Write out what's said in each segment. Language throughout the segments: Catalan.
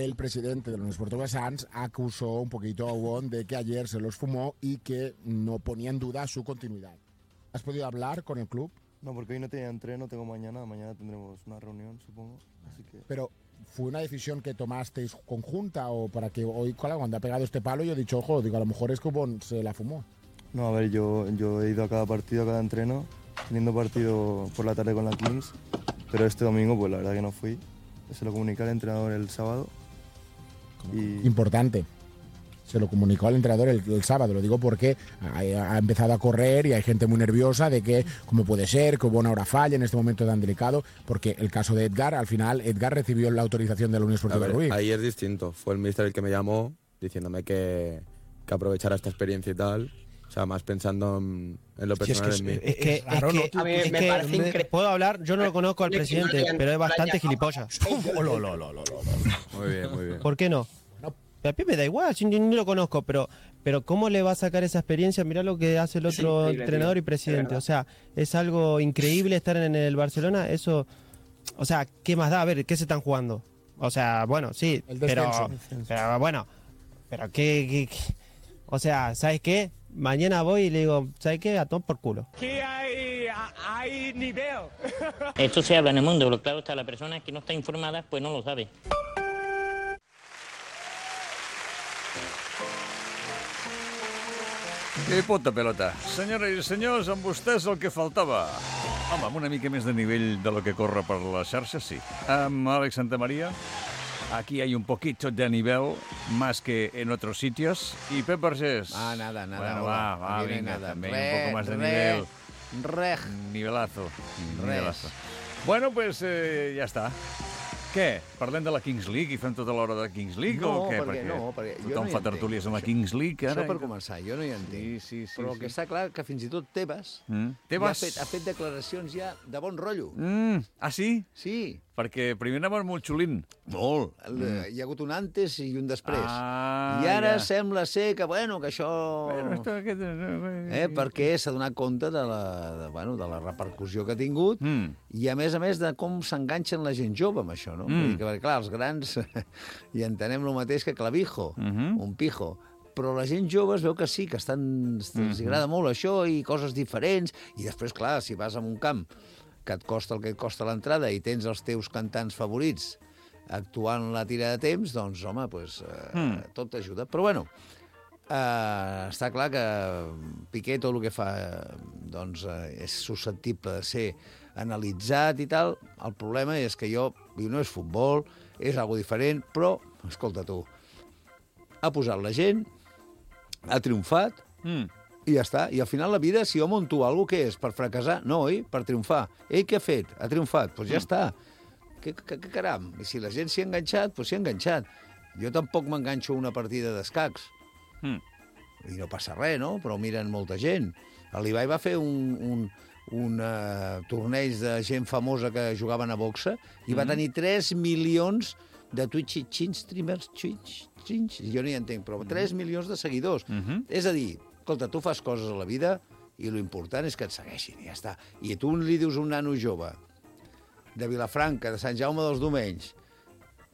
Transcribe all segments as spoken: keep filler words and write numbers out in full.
el presidente de la Unión Esportiva Sanz acusó un poquito a Ubón de que ayer se los fumó y que no ponía en duda su continuidad. ¿Has podido hablar con el club? No, porque hoy no tenía entreno, tengo mañana, mañana tendremos una reunión, supongo, así que... Pero, ¿fue una decisión que tomasteis conjunta o para que hoy, cuando ha pegado este palo, yo he dicho, ojo, digo, a lo mejor es que Ubón se la fumó? No, a ver, yo, yo he ido a cada partido, a cada entreno, teniendo partido por la tarde con la Kings, pero este domingo, pues la verdad que no fui. Se lo comuniqué al entrenador el sábado. Y... Importante. Se lo comunicó al entrenador el, el sábado, lo digo porque ha, ha empezado a correr y hay gente muy nerviosa de que, cómo puede ser, que Ubón ahora falle en este momento tan delicado, porque el caso de Edgar, al final, Edgar recibió la autorización de la Unión Esportiva ver, Rubí. Ahí es distinto, fue el míster el que me llamó diciéndome que, que aprovechara esta experiencia y tal, o sea, más pensando en, en lo personal es que, en mí. Es que, es Claro, que, no, a mí es me que parece me- increíble. puedo hablar, yo no lo conozco al Que no presidente, le han- pero es no le bastante hayan- gilipollas. Oh, lo, lo, lo, lo, lo. Muy bien, muy bien. ¿Por qué no? No. A mí me da igual, yo ni, ni lo conozco, pero, pero ¿cómo le va a sacar esa experiencia? Mirá lo que hace el Es otro increíble, entrenador tío, y presidente. de O sea, es algo increíble estar en el Barcelona. Eso, o sea, ¿qué más da? A ver, ¿qué se están jugando? O sea, bueno, sí, El pero, descenso. pero bueno, pero ¿qué, qué, qué? O sea, ¿sabes qué? Mañana voy y le digo, ¿sabes qué? A tomar por culo. Que hay, hay nivel. Esto se habla en el mundo, pero claro está, la persona que no está informada pues no lo sabe. I punta pelota. Senyores i senyors, amb vostès el que faltava. Home, amb una mica més de nivell de lo que corre per les xarxes, sí. Amb Àlex Santamaría, aquí hay un poquito de nivel, más que en otros sitios. Y Pep Vergés. Ah, nada, nada. Bueno, hola. va, va, Aquí no hay venga, nada. también Re, un poco más de re, nivel. Rej. Nivelazo. Res. Nivelazo. Bueno, pues eh, ja està. Què? Parlem de la Kings League i fem tota l'hora de Kings League No, o què? perquè- no, perquè jo tothom no hi fa entenc, tertúlies amb la això. Kings League ara. Això per començar, jo no hi entenc. Sí, sí, sí. Però el sí. que està clar que fins i tot Tebas, Mm. ja ha, Tebas. fet, ha fet declaracions ja de bon rotllo. Mm. Ah, sí? Sí, Perquè primer anaven molt xulint. molt. Mm. Hi ha hagut un antes i un després. Ah, I ara ja. sembla ser que, bueno, que això... Bueno, esto, aquest... Eh, perquè s'ha donat compte de la, de, bueno, de la repercussió que ha tingut Mm. i, a més a més, de com s'enganxen la gent jove amb això, no? Mm. Vull dir que, perquè, clar, els grans hi entenem el mateix que Clavijo, Mhm. un pijo, però la gent jove es veu que sí, que estan, els Mhm. agrada molt això i coses diferents, i després, clar, si vas a un camp que et costa el que et costa l'entrada i tens els teus cantants favorits actuant la tira de temps, doncs, home, pues, eh, Mm. tot t'ajuda. Però, bueno, eh, està clar que Piqué tot el que fa eh, doncs, eh, és susceptible de ser analitzat i tal. El problema és que jo, diu, no és futbol, és algo diferent, però, escolta tu, ha posat la gent, ha triomfat, Mm. i ja està. I al final la vida, si jo monto alguna cosa, què és? Per fracassar? No, oi? Per triomfar. Ell què ha fet? Ha triomfat. Doncs pues ja està. Que, que, que caram. I si la gent s'hi ha enganxat, doncs s'hi ha enganxat. Jo tampoc m'enganxo a una partida d'escacs. Mm. I no passa res, no? Però miren molta gent. L'Ibai va fer un, un, un uh, torneig de gent famosa que jugaven a boxa i va tenir tres milions de Twitch, Twitch streamers, Twitch, Twitch, jo no hi entenc, però tres milions de seguidors. Mhm. És a dir, escolta, tu fas coses a la vida i lo important és que et segueixin, i ja està. I tu li dius a un nano jove de Vilafranca, de Sant Jaume dels Domenys,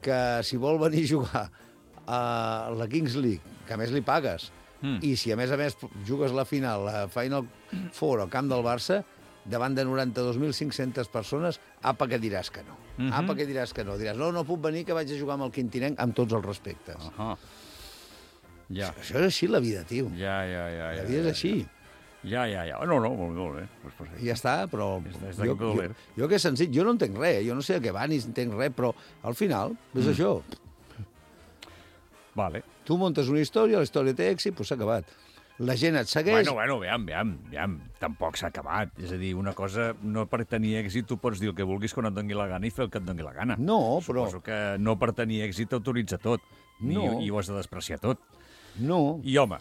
que si vol venir a jugar a la Kings League, que a més li pagues, Mm. i si a més a més jugues la final, la Final Four al camp del Barça, davant de noranta-dos mil cinc-centes persones, apa que diràs que no. Mhm. Apa que diràs que no. Diràs, no, no puc venir, que vaig a jugar amb el Quintinenc, amb tots els respectes. Ahà. Ja. Això és així, la vida, tio. Ja, ja, ja. La ja, vida és ja, així. Ja, ja, ja. No, no, molt, molt bé. Pues, pues, I ja està, però És- és jo, d'aquí doler. jo, jo que és senzill, jo no entenc res, jo no sé a què va ni entenc res, però al final és Mm. això. Vale. Tu montes una història, la història té èxit, doncs s'ha acabat. La gent et segueix... Bueno, bueno, veam, veam, veam. Tampoc s'ha acabat. És a dir, una cosa, no per tenir èxit tu pots dir el que vulguis quan et doni la gana i fer el que et doni la gana. No, però... Suposo que no per tenir èxit autoritza tot. No. I, I ho has de despreciar tot. No. I, home,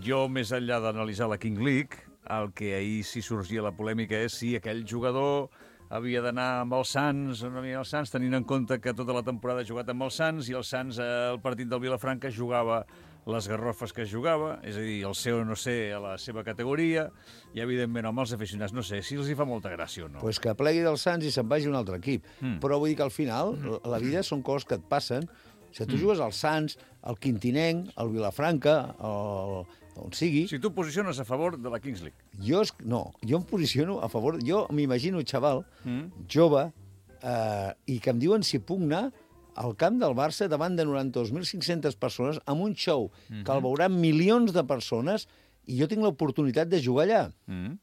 jo, més enllà d'analitzar la King League, el que ahir sí sorgia la polèmica és si aquell jugador havia d'anar amb els Sants o no havia els Sants, tenint en compte que tota la temporada ha jugat amb els Sants i els Sants al partit del Vilafranca jugava les garrofes que jugava, és a dir, el seu no sé a la seva categoria, i evidentment amb els aficionats no sé si els hi fa molta gràcia o no. Pues que plegui dels Sants i se'n vagi a un altre equip. Mm. Però vull dir que al final la vida són coses que et passen Si tu jugues al Sants, al Quintinenc, al Vilafranca, al, on sigui... Si tu posiciones a favor de la Kings League. Jo, es, no, jo em posiciono a favor... Jo m'imagino un xaval Mm. jove eh, i que em diuen si puc anar al camp del Barça davant de noranta-dos mil cinc-centes persones amb un show Mm-hmm. que el veuran milions de persones i jo tinc l'oportunitat de jugar allà. Mm.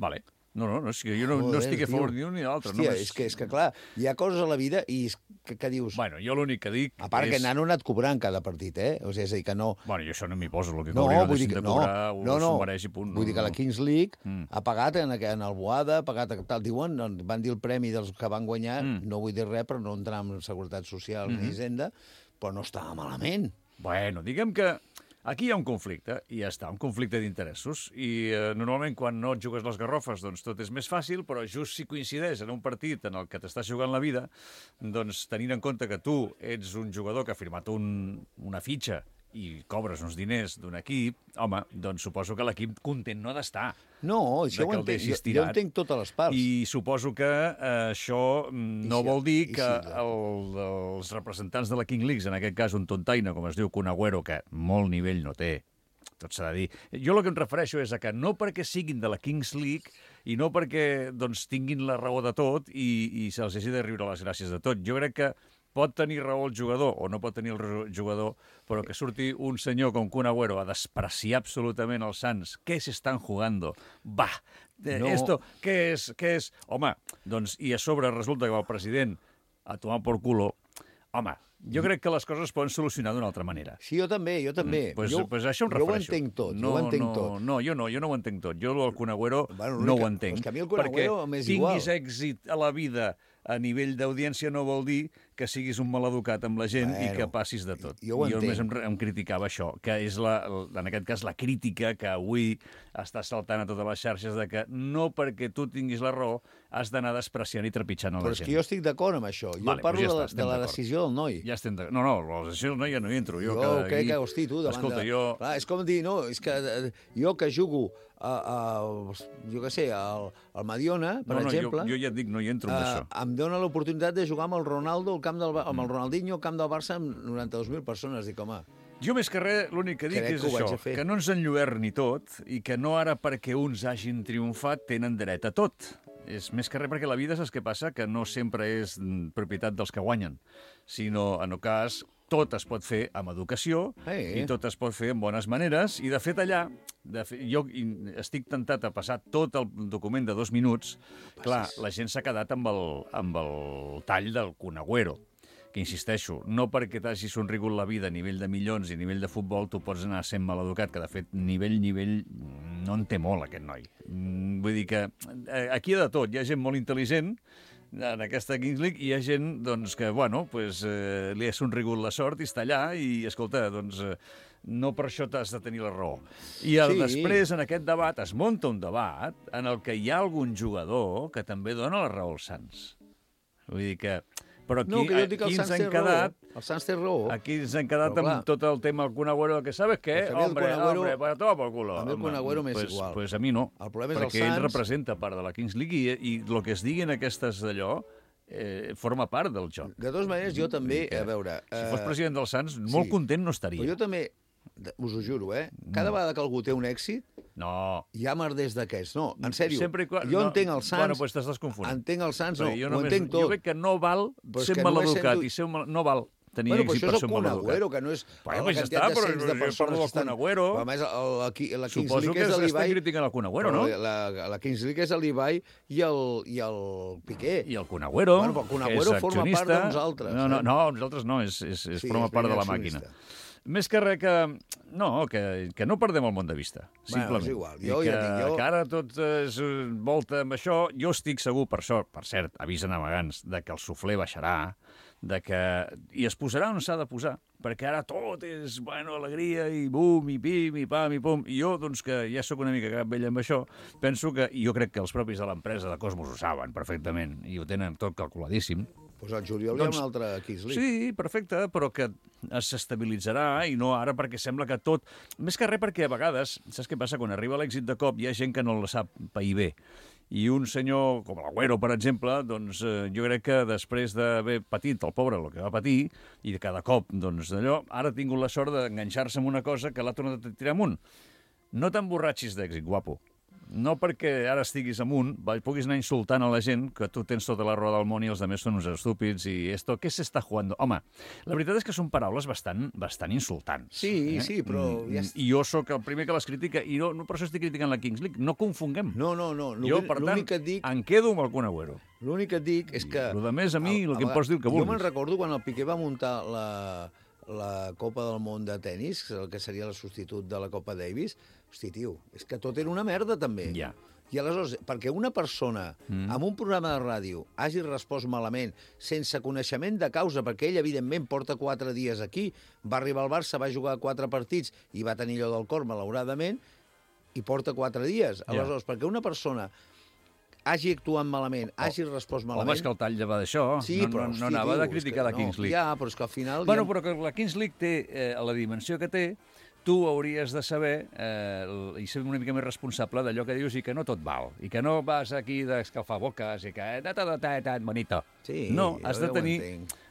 Vale. No, no, no, és que jo no, no Joder, estic a favor tio. ni un ni l'altre. Hòstia, només... és, que, és que, clar, hi ha coses a la vida i és que, que dius... Bueno, jo l'únic que dic A part és... que n'han anat cobrant cada partit, eh? O sigui, és a dir, que no... Bueno, jo això no m'hi poso, el que No, cobrin o vull dir deixin que de no, cobrar, no, no. s'ho mereix i punt. Vull dir que la no. Kings League Mm. ha pagat en, en el Boada, ha pagat tal, diuen, van dir el premi dels que van guanyar, Mm. no vull dir res, però no entrar en Seguretat Social Mm-hmm. ni Hisenda, però no estava malament. Bueno, diguem que aquí hi ha un conflicte, i ja està, un conflicte d'interessos, i eh, normalment quan no et jugues les garrofes doncs tot és més fàcil, però just si coincideix en un partit en el que t'estàs jugant la vida, doncs tenint en compte que tu ets un jugador que ha firmat un, una fitxa i cobres uns diners d'un equip, home, doncs suposo que l'equip content no ha d'estar. No, això de ho que el entenc, deixis jo, jo tirat. entenc totes les parts. I suposo que eh, això mm, no si- vol dir i que si- el, els representants de la King League, en aquest cas un tontaina, com es diu, Kun Agüero, que molt nivell no té, tot s'ha de dir. Jo el que em refereixo és a que no perquè siguin de la Kings League i no perquè doncs, tinguin la raó de tot i, i se'ls hagi de riure les gràcies de tot. Jo crec que pot tenir raó el jugador o no pot tenir el jugador, però que surti un senyor com Kun Agüero a despreciar absolutament els Sants. Què s'estan jugando? Va, eh, No. esto, què és? Què és? Home, doncs, i a sobre resulta que el president a tomar por culo. Home, jo crec que les coses es poden solucionar d'una altra manera. Sí, jo també, jo també. Mm, pues, jo, pues això em jo ho refereixo. entenc tot, no, jo ho entenc no, tot. No, jo no, jo no ho entenc tot. Jo el Kun Agüero Bueno, no l'única- ho entenc. és que a mi el Kun Agüero m'és perquè igual. tinguis èxit a la vida a nivell d'audiència no vol dir que siguis un maleducat amb la gent Bueno, i que passis de tot. jo ho jo només em, entenc. em criticava això, que és, la, en aquest cas, la crítica que avui està saltant a totes les xarxes de que no perquè tu tinguis la raó has d'anar despreciant i trepitjant a la Però és gent. que jo estic d'acord amb això. Jo Vale, parlo doncs ja de, la, està, estem de la d'acord. decisió del noi. Ja estem de... No, no, la decisió no, ja no hi entro. Jo, Jo que crec aquí- que, hosti, tu, davant Escolta, de... jo... Clar, és com dir, no, és que eh, jo que jugo a, a jo què sé, al, al Mediona, per no, no, exemple, jo, jo ja et dic, no hi entro en eh, això. em dona l'oportunitat de jugar amb el Ronaldo, al camp del, Ba- amb el Ronaldinho, al camp del Barça, amb noranta-dos mil persones. Dic, home, Jo més que res, l'únic que dic Crec és que ho vaig això, a fer. que no ens enlluerni tot i que no ara perquè uns hagin triomfat tenen dret a tot. És més que res perquè la vida, saps què passa? Que no sempre és mm, propietat dels que guanyen, sinó, en el cas, tot es pot fer amb educació Eh. i tot es pot fer amb bones maneres. I, de fet, allà, de fet, jo i- estic tentat a passar tot el document de dos minuts. Clar, la gent s'ha quedat amb el, amb el tall del Kun Agüero, que insisteixo, no perquè t'hagi somrigut la vida a nivell de milions i a nivell de futbol tu pots anar sent maleducat, que de fet nivell, nivell, no en té molt aquest noi. Mm, Vull dir que eh, aquí hi ha de tot, hi ha gent molt intel·ligent en aquesta Kings League i hi ha gent doncs, que bueno, pues, eh, li ha somrigut la sort i està allà i, escolta, doncs, eh, no per això t'has de tenir la raó. I el, Sí. després, en aquest debat, es munta un debat en el que hi ha algun jugador que també dona la raó als Sants. Vull dir que... Però aquí, no, que jo dic que el aquí ens Sants té hem quedat... raó. El Sants té raó. Aquí ens hem quedat Però, clar, amb tot el tema del Kun Agüero, que sabes què? És que a mi el Hombre, Kun Agüero- hombre, para todo por culo. a mi el Home, Kun Agüero m'és pues, igual. Pues a mi no, El problema és el perquè ell Sants. representa part de la Kings League i, i el que es digui en aquestes d'allò eh, forma part del joc. De totes maneres, jo també, a veure... Si fos eh, president dels Sants, molt sí. content no estaria. Però jo també, de- us ho juro, eh? Cada vegada que algú té un èxit, No. hi ha merders d'aquests. No, en sèrio, Sempre i quan- jo no, entenc el Sants... Bueno, pues t'estàs confonent. Entenc el Sants, no, Perquè jo, ho només, entenc tot. jo crec que no val Però és ser que només maleducat sento- i ser un mal... no val tenir Bueno, però èxit això per és ser el un Kun maleducat. Agüero, que no és... Bueno, la pues ja quantitat està, de però cents de jo parlo persones del que estan- Kun Agüero. Però, a més, el, la, Ki- la Kings Suposo League que és estan l'Ibai... criticant el Kun Agüero, no? Però La, la Kings League és l'Ibai i el, i el Piqué. I el Kun Agüero, Bueno, però el Kun que Agüero és forma part accionista. de nosaltres, No, no, eh? no, nosaltres no, és, és, és Sí, forma és part de la primer màquina. accionista. Més que res que... No, que, que no perdem el món de vista, simplement. és igual. I Jo que, ja dic, jo- que ara tot es volta amb això. Jo estic segur, per això, per cert, avisen amagants, de que el suflé baixarà, de que... i es posarà on s'ha de posar, perquè ara tot és, bueno, alegria i bum, i pim, i pam, i pum. I jo, doncs, que ja sóc una mica cap vell amb això, penso que, i jo crec que els propis de l'empresa de Cosmos ho saben perfectament, i ho tenen tot calculadíssim. Doncs al juliol Doncs- hi ha una altra Kings League. Sí, perfecte, però que s'estabilitzarà i no ara perquè sembla que tot... Més que res perquè a vegades, saps què passa? Quan arriba l'èxit de cop hi ha gent que no la sap pair bé I un senyor com l'Agüero, per exemple, doncs eh, jo crec que després d'haver patit el pobre el que va patir, i de cada cop, doncs d'allò, ara ha tingut la sort d'enganxar-se en una cosa que l'ha tornat a tirar amunt. No t'emborratxis d'èxit, guapo. No perquè ara estiguis amunt, puguis anar insultant a la gent que tu tens tota la roda del món i els altres són uns estúpids i esto, què s'està jugando? Home, la veritat és que són paraules bastant, bastant insultants. Sí, eh? sí, però... Ja... I jo sóc el primer que les critica i no, no per això estic criticant la Kings League. No confonguem. No, no, no. Jo, per tant, que et dic... em quedo amb el Kun Agüero. L'únic que et dic és que... I el de més, a mi, el que em pots dir el que vulguis. Jo me'n recordo quan el Piqué va muntar la, la Copa del Món de tennis, el que seria el substitut de la Copa Davis. Hosti, tio, és que tot era una merda, també. Ja. I aleshores, perquè una persona mm. amb un programa de ràdio hagi respost malament, sense coneixement de causa, perquè ell, evidentment, porta quatre dies aquí, va arribar al Barça, va jugar quatre partits i va tenir allò del cor, malauradament, i porta quatre dies. Aleshores, ja. perquè una persona hagi actuat malament, oh. hagi respost malament... Home, és que el tall ja va d'això. Sí, no, però, no, hosti, no anava tio, de criticar la Kings League. No, ja, però és que al final... Bueno, ja... però que la Kings League té eh, la dimensió que té, tu hauries de saber eh, i ser una mica més responsable d'allò que dius i que no tot val, i que no vas aquí d'escalfar boques i que... Ta, ta, ta, ta, ta, bonito. Sí, no, has de, ja tenir,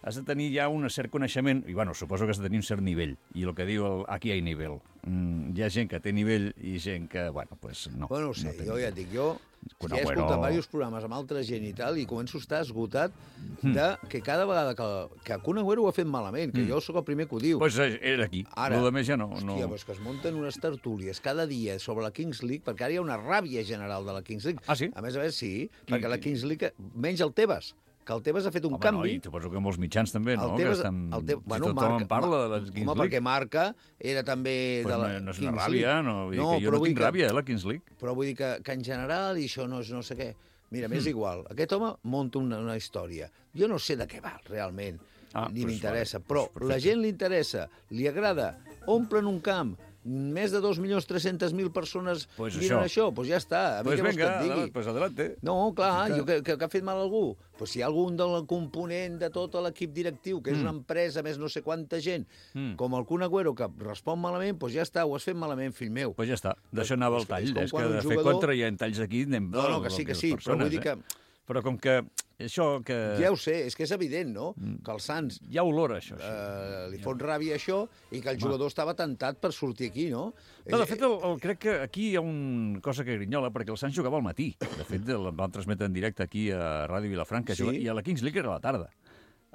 has de tenir ja un cert coneixement, i bueno, suposo que has de tenir un cert nivell, i el que diu el, aquí hi ha nivell. Mm, hi ha gent que té nivell i gent que, bueno, pues no. Bueno, no sé, no jo ja et dic, jo Kun ja he Agüero... escoltat diversos programes amb altra gent i tal, i començo a estar esgotat de que cada vegada que, que Kun Agüero ho ha fet malament, que mm. jo sóc el primer que ho diu. Doncs pues era aquí, ara, el més ja no. Hòstia, no... però és que es munten unes tertúlies cada dia sobre la Kings League, perquè ara hi ha una ràbia general de la Kings League. Ah, sí? A més a més, sí, Qui, perquè la qui? Kings League, menys el Tebas, que el Tebas ha fet un Home, canvi. No, i suposo que molts mitjans també, no? Tebas, que estan... el te... si bueno, tothom marca, en parla de la Kings home, League. perquè Marca era també pues de la no, no és Kings una ràbia, League. no, vull no dir que jo no tinc que, ràbia, eh, la Kings League. Però vull dir que, que en general, i això no és no sé què... Mira, m'és mm. igual. Aquest home munta una, una història. Jo no sé de què va, realment, ah, ni pues m'interessa, vale, però pues la gent li interessa, li agrada, omplen un camp, més de dos milions tres-centes mil persones pues miren això, doncs pues ja està. A mi pues què vols venga, que et digui? Pues adelante. No, clar, jo, que, que, que ha fet mal a algú. Pues si hi ha algun del component de tot l'equip directiu, que és mm. una empresa, més no sé quanta gent, mm. com el Kun Agüero, que respon malament, doncs pues ja està, ho has fet malament, fill meu. Doncs pues ja està, d'això anava el tall. És, és que de jugador... fer contra hi ha talls aquí, anem... No, no, que sí, que sí, persones, però vull dir que... Eh? Però com que això que... Ja ho sé, és que és evident, no? Mm. Que el Sants... Hi ha olor, això. això. Eh, li fot ràbia això i que el jugador Va. estava tentat per sortir aquí, no? No, de fet, el, el, crec que aquí hi ha una cosa que grinyola, perquè el Sants jugava al matí. De fet, el van transmetre en directe aquí a Ràdio Vilafranca, sí? I a la Kings League era a la tarda.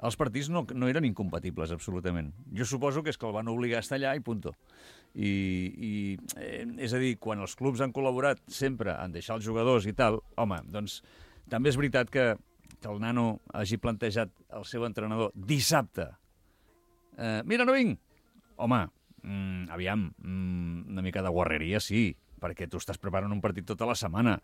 Els partits no, no eren incompatibles, absolutament. Jo suposo que és que el van obligar a estar allà i punto. I, i eh, és a dir, quan els clubs han col·laborat sempre en deixar els jugadors i tal, home, doncs també és veritat que, que el nano hagi plantejat el seu entrenador dissabte. Eh, mira, no vinc! Home, mm, aviam, mm, una mica de guarreria sí, perquè tu estàs preparant un partit tota la setmana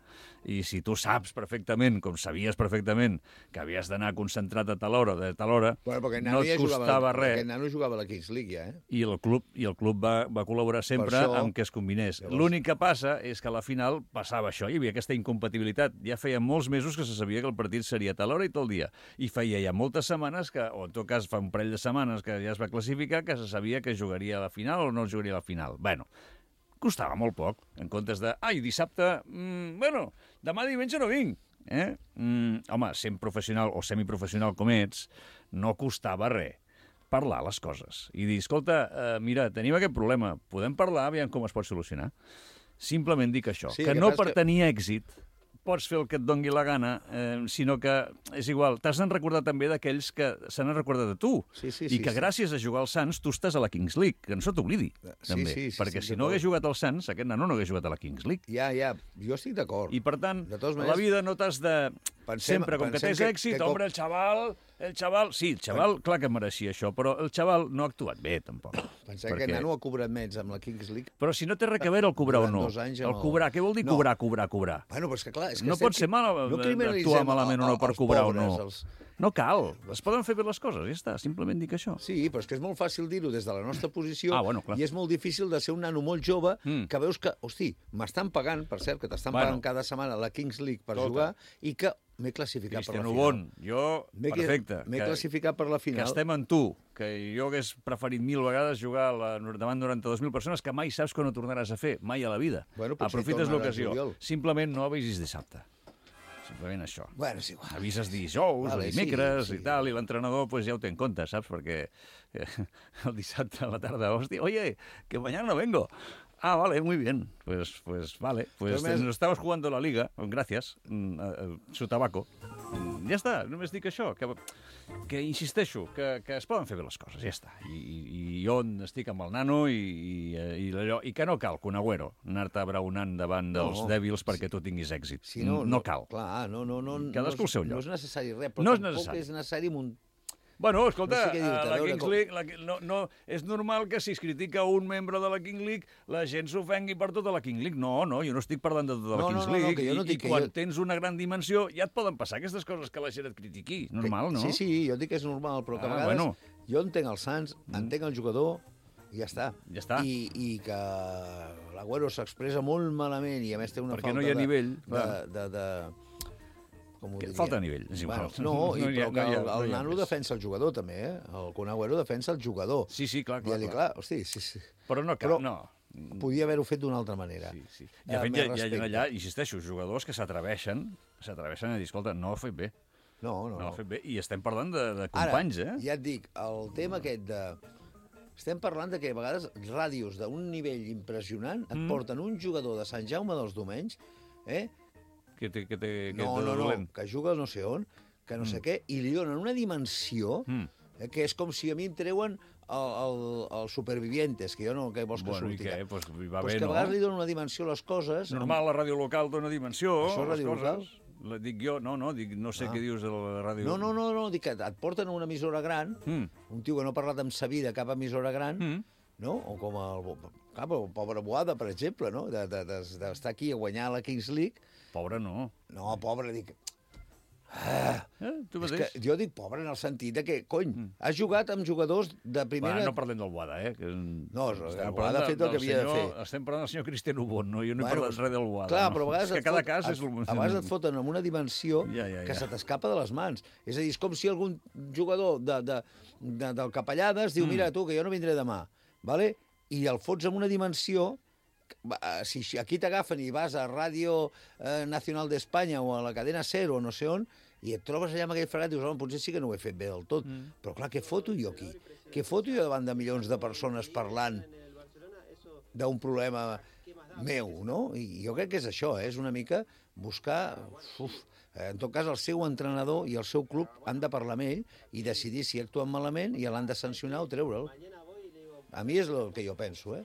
i si tu saps perfectament, com sabies perfectament, que havies d'anar concentrat a tal hora, de tal hora, bueno, no et ja costava jugava, res. Aquest nano jugava a la Kings League, ja, eh? I el club, i el club va, va col·laborar sempre això, amb que es combinés. Llavors... L'únic que passa és que a la final passava això, hi havia aquesta incompatibilitat. Ja feia molts mesos que se sabia que el partit seria a tal hora i tal dia. I feia ja moltes setmanes, que, o en tot cas fa un parell de setmanes que ja es va classificar, que se sabia que jugaria a la final o no jugaria a la final. Bueno, costava molt poc, en comptes de, ai, dissabte, mmm, bueno, demà diumenge no vinc. Eh? Mm, home, sent professional o semiprofessional com ets, no costava res parlar les coses i dir, escolta, eh, mira, tenim aquest problema, podem parlar, aviam com es pot solucionar. Simplement dic això, sí, que, que no per que... tenir èxit pots fer el que et dongui la gana, eh, sinó que és igual, t'has de recordar també d'aquells que se n'han recordat de tu, sí, sí, i que sí, gràcies sí. a jugar al Sants tu estàs a la Kings League, que no se t'oblidi, sí, també, sí, sí, perquè sí, si no hagués jugat al Sants, aquest nano no hagués jugat a la Kings League. Ja, ja, jo estic d'acord. I per tant, de maneres, la vida no t'has de... Pensem, sempre, com que tens que, èxit, que, home, el xaval, el xaval... Sí, el xaval, clar que mereixia això, però el xaval no ha actuat bé, tampoc. Pensem perquè... que el nano ha cobrat menys amb la Kings League. Però si no té res a veure el cobrar o no. El cobrar, què vol dir no. cobrar, cobrar, cobrar? Bueno, però és que clar... És que no pot ser mal no actuar malament o no per cobrar pobres, o no. Els... No cal, es poden fer bé les coses, ja està, simplement dic això. Sí, però és que és molt fàcil dir-ho des de la nostra posició ah, bueno, i és molt difícil de ser un nano molt jove mm. que veus que, hosti, m'estan pagant, per cert, que t'estan bueno. pagant cada setmana la Kings League per Tota. jugar i que m'he classificat Cristiano per la final. Bon, jo, perfecte. M'he classificat per la final. Que estem en tu, que jo hagués preferit mil vegades jugar la, davant noranta-dues mil persones que mai saps que no tornaràs a fer, mai a la vida. Bueno, aprofites l'ocasió. Simplement no avisis dissabte. simplement això. Bueno, és igual. Avises dijous Vale, o dimecres sí, sí. i tal, i l'entrenador pues, ja ho té en compte, saps? Perquè eh, el dissabte a la tarda, hòstia, oye, que mañana no vengo. Ah, vale, muy bien. Pues, pues vale. Pues Només- nos estamos jugando la liga. Gracias. Mm, eh, eh, Su tabaco. Mm, Ja està, només dic això, que, que insisteixo, que, que es poden fer bé les coses, ja està. I, i, i jo estic amb el nano i, i, i, allò, i que no cal, que un agüero, anar-te abraonant davant dels No, dèbils perquè tu tinguis èxit. Si no, no cal. Clar, no, no, no, Cadascú no, al seu és- lloc. no és necessari res, però No és tampoc necessari. és necessari mun- Bueno, escolta, No sé què dir-te, a la a veure Kings com- League, la, no, no, és normal que si es critica un membre de la King League, la gent s'ofengui per tota la King League. No, no, jo no estic parlant de tota la No, no, Kings no, no, League. que jo no I, dic i que quan jo- tens una gran dimensió ja et poden passar aquestes coses que la gent et critiqui. Normal, no? Sí, sí, jo dic que és normal, però que a Ah, vegades bueno. jo entenc el Sants, entenc el jugador i ja està. Ja està. I, i que l'Agüero s'expressa molt malament i a més té una Perquè falta no hi ha de, nivell, de, clar. de, de, com ho Que diria? falta nivell, és igual. Bueno, no, i, No hi ha- però que no hi ha- el, no el hi ha nano més. defensa el jugador també, eh? El Kun Agüero defensa el jugador. Sí, sí, clar, clar, Dient-li, clar. clar, hosti, sí, sí. Però no cal, Però- no. Podia haver-ho fet d'una altra manera. Sí, sí. Eh, De fet, més hi ha, hi ha respecte. allà, insisteixo, jugadors que s'atreveixen s'atreveixen a dir, escolta, no ho ha fet bé. No, No no, ho no. ha fet bé. I estem parlant de, de Ara, companys, eh? ja et dic, el tema aquest de... Estem parlant de que a vegades ràdios d'un nivell impressionant et Mm. porten un jugador de Sant Jaume dels Domenys, eh? Que té, que té, que no, té no, no, dolent. que juga no sé on, que no sé què, i li donen una dimensió Mm. eh, que és com si a mi em treuen el, el, el Supervivientes, que jo no, que vols que Bueno, i surti. què? Pues, va pues bé, que a no? vegades li donen una dimensió a les coses. Normal, la ràdio local dona dimensió Això és a les ràdio coses. local? La dic jo, no, no, dic, no sé Ah. què dius de la ràdio. No, no, no, no, dic que et porten a una emissora gran, Mm. un tio que no ha parlat amb sa vida a cap emissora gran, Mm. no? O com el, cap, el pobre Boada, per exemple, no? D'estar de, de, d'estar aquí a guanyar la Kings League. Pobre no. No, pobre, dic... Eh, tu És mateix? que jo dic pobre en el sentit de que, cony, mm. has jugat amb jugadors de primera... Bueno, no parlem del Boada, eh? Que... No, el Estem Boada parlant ha fet el del que havia de senyor- fer. Estem parlant del senyor Cristiano Bon, no? Jo no he Bueno, parlat res del Boada. Clar, no? però a vegades és que et cada fot, cas et, és... el- a vegades et foten amb una dimensió Ja, ja, ja. que se t'escapa de les mans. És a dir, és com si algun jugador de, de, de, del Capellades diu, Mm. mira, tu, que jo no vindré demà, vale? I el fots amb una dimensió... va, Si si aquí t'agafen i vas a Ràdio eh, Nacional d'Espanya o a la cadena Cero o no sé on, i et trobes allà amb aquell fregat i dius, home, potser sí que no ho he fet bé del tot. Mm. Però clar, què foto jo aquí? Què foto jo davant de milions de persones parlant d'un problema meu, no? I jo crec que és això, eh? És una mica buscar... Uf, en tot cas, el seu entrenador i el seu club han de parlar amb ell i decidir si actuen malament i l'han de sancionar o treure'l. A mi és el que jo penso, eh?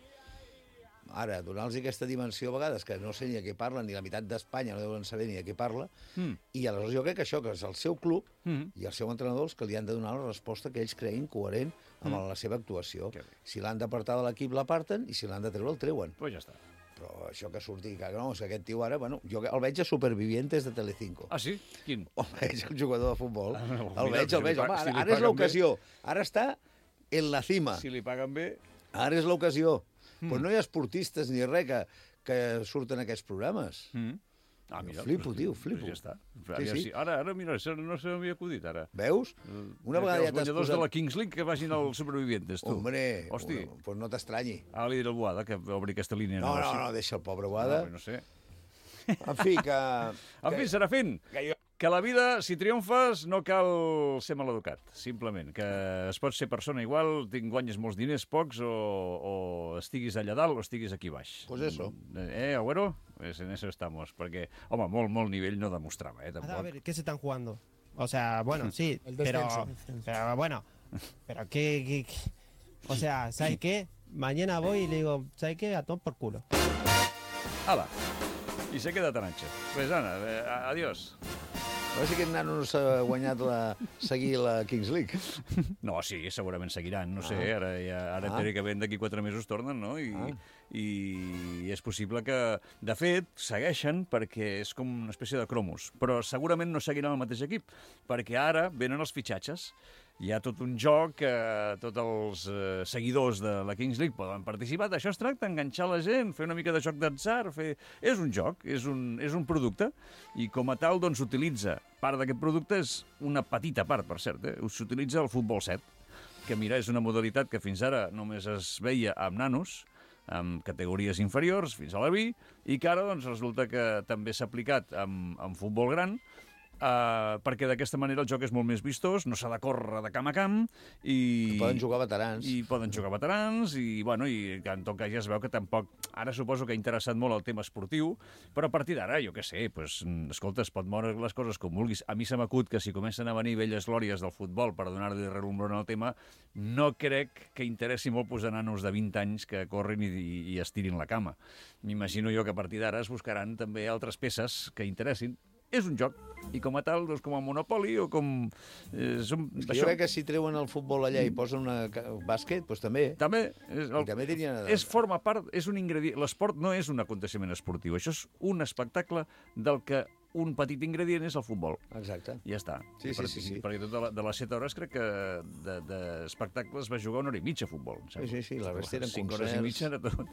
Ara, donar-los aquesta dimensió a vegades, que no sé ni a què parlen, ni la meitat d'Espanya no deuen saber ni a què parla, Mm. i aleshores jo crec que això, que és el seu club Mm. i el seu entrenador els que li han de donar la resposta que ells creguin coherent amb Mm. la seva actuació. Que bé. Si l'han d'apartar de l'equip, l'aparten, i si l'han de treure, el treuen. Pues ja està. Però això que surti, que no, és que aquest tio ara, bueno, jo el veig a Supervivientes de Telecinco. Ah, sí? Quin? El veig, el jugador de futbol. Ah, no, el mira, veig, si el li veig. pa- Home, si ara, li ara és paguen l'ocasió. Ara està en la cima. Si li paguen bé... Ara és l'ocasió. Mm. Però no hi ha esportistes ni res que, que surten aquests programes. Mm. Ah, mira. Flipo, pues, tio, pues flipo. ja està. Sí, Aviam sí. si- Ara, ara, mira, això no se m'havia acudit, ara. Veus? Una vegada ja Els t'has guanyadors posat... de la Kings League que vagin als Supervivientes, tu. Hombre, Hosti. bueno, pues no t'estranyi. Ara li diré al Boada que obri aquesta línia. No, no, negoci. no, deixa el pobre No, Boada. no sé. En fi, que... En fi, Serafín, que la vida, si triomfes, no cal ser maleducat, simplement. Que es pot ser persona igual, tinc guanyes molts diners, pocs, o, o estiguis allà dalt o estiguis aquí baix. Pues eso. Eh, Agüero? Pues en eso estamos. Perquè, home, molt, molt nivell no demostrava, eh, A tampoc. ver, ¿qué se están jugando? O sea, bueno, sí, El pero, descenso. pero bueno, pero qué, qué- qué- o sea, ¿sabes qué? Mañana voy y le digo, ¿sabes qué? A tomar por culo. Ala, i se queda tan ancha. Pues Ana, eh, adiós. A veure si aquest nano no s'ha guanyat la... seguir la Kings League. No, sí, segurament seguiran, no sé, Ah. ara, ja, ara Ah. teòricament d'aquí quatre mesos tornen, no? I, Ah. I és possible que, de fet, segueixen perquè és com una espècie de cromos, però segurament no seguiran el mateix equip, perquè ara venen els fitxatges. Hi ha tot un joc que tots els eh, seguidors de la Kings League poden participar. D'això es tracta, enganxar la gent, fer una mica de joc d'atzar, fer... És un joc, és un, és un producte, i com a tal, doncs, s'utilitza. Part d'aquest producte és una petita part, per cert, eh? S'utilitza el futbol set, que, mira, és una modalitat que fins ara només es veia amb nanos, amb categories inferiors, fins a la B, i que ara doncs, resulta que també s'ha aplicat amb, amb futbol gran, Uh, perquè d'aquesta manera el joc és molt més vistós, no s'ha de córrer de camp a camp i... Poden jugar veterans. I poden jugar veterans i, bueno, i en tot cas ja es veu que tampoc... Ara suposo que ha interessat molt el tema esportiu, però a partir d'ara, jo què sé, pues, escolta, es pot moure les coses com vulguis. A mi se m'acut que si comencen a venir velles glòries del futbol per donar-li relumbrón al tema, no crec que interessi molt posar nanos de vint anys que corrin i, i, i estirin la cama. M'imagino jo que a partir d'ara es buscaran també altres peces que interessin. És un joc, i com a tal, doncs, com a Monopoly o com... Eh, som, és que jo crec que si treuen el futbol allà i posen una bàsquet, doncs també. També. És, el, I també tenien... és forma part, és un ingredient... L'esport no és un aconteixement esportiu, això és un espectacle del que un petit ingredient és el futbol. Exacte. I ja està. Sí, sí, per, sí, sí. Perquè tot de, la, de les set hores crec que d'espectacles de, de va jugar una hora i mitja a futbol. Sí, sí, sí, la resta eren cinc concerts. Hores i mitja era tot.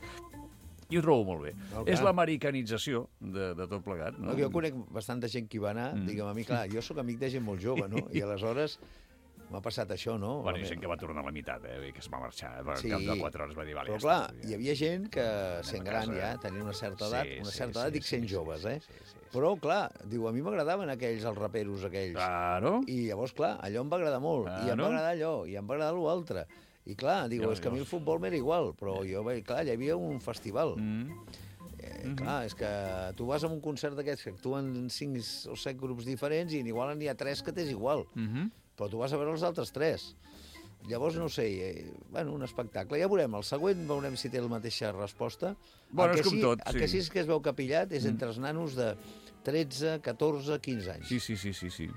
I ho trobo molt bé. No, és l'americanització de, de tot plegat. No? No, jo conec bastanta gent que hi va anar, mm. digue'm, a mi, clar, jo sóc amic de gent molt jove, no? I aleshores m'ha passat això, no? Bueno, hi ha gent que va tornar a la meitat, eh? Que es va marxar, al sí, cap de quatre hores va dir, vale, però ja clar, està, hi havia gent que, sent gran ja, tenia una certa edat, sí, una sí, certa sí, edat, dic sí, sent sí, joves, eh? Sí, sí, sí, sí. Però, clar, diu, a mi m'agradaven aquells, els raperos aquells. Claro. I llavors, clar, allò em va agradar molt, Claro. i em va agradar allò, i em va agradar l'altre. I clar, diu, és que a mi el futbol m'era igual, però jo, clar, hi havia un festival. Mm. Eh, clar, és que tu vas a un concert d'aquests que actuen cinc o set grups diferents i igual n'hi ha tres que t'és igual, Mm-hmm. però tu vas a veure els altres tres. Llavors, no sé, eh, bueno, un espectacle. Ja veurem, el següent veurem si té la mateixa resposta. Bueno, el és que com sí, tot, El sí. que sí és que es veu capillat és entre els nanos de tretze, catorze, quinze anys. Sí, sí, sí, sí, sí.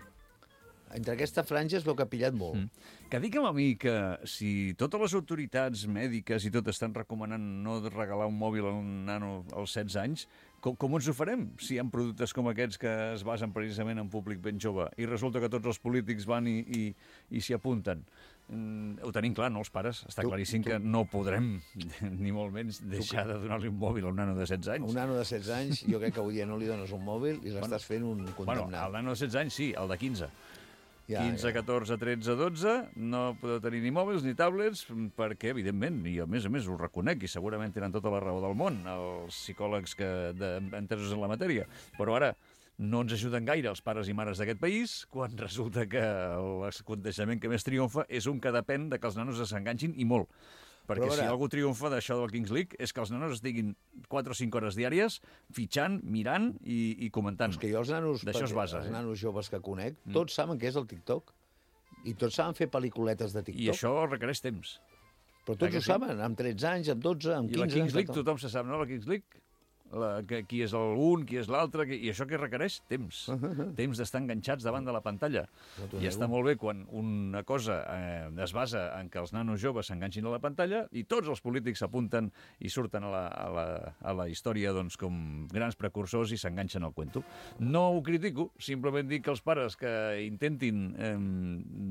Entre aquesta franja es veu capillat molt. Mm. Que digue'm a mi que si totes les autoritats mèdiques i tot estan recomanant no regalar un mòbil a un nano als setze anys, com, com ens ho farem si hi ha productes com aquests que es basen precisament en públic ben jove i resulta que tots els polítics van i, i, i s'hi apunten? Mm, ho tenim clar, no, els pares? Està Tu- claríssim tu- que no podrem, ni molt menys, deixar de donar-li un mòbil a un nano de setze anys. Un nano de setze anys, jo crec que avui dia no li dones un mòbil i l'estàs fent un Bueno, condemnat. el nano de setze anys sí, el de quinze. Ja, quinze, ja. catorze, tretze, dotze, no podeu tenir ni mòbils ni tablets, perquè, evidentment, i a més a més ho reconec, i segurament tenen tota la raó del món, els psicòlegs que de, entesos en la matèria, però ara no ens ajuden gaire els pares i mares d'aquest país, quan resulta que l'aconteixement que més triomfa és un que depèn de que els nanos s'enganxin, i molt. Perquè Però, a si veure- algú triomfa d'això del Kings League és que els nanos estiguin quatre o cinc hores diàries fitxant, mirant i, i comentant. És que jo els nanos, D'això es basa, els eh? nanos joves que conec, tots saben què és el TikTok. I tots saben fer pel·lículetes de TikTok. I això requereix temps. Però tots Eh que ho sí? saben, amb tretze anys, amb dotze, amb I quinze... la Kings League, amb tot. tothom se sap, no? La Kings League, la, que, qui és l'un, qui és l'altre, qui... i això que requereix? Temps. Temps d'estar enganxats davant de la pantalla. No t'ho I nego. està molt bé quan una cosa eh, es basa en que els nanos joves s'enganxin a la pantalla i tots els polítics s'apunten i surten a la, a la, a la història doncs, com grans precursors i s'enganxen al cuento. No ho critico, simplement dic que els pares que intentin eh,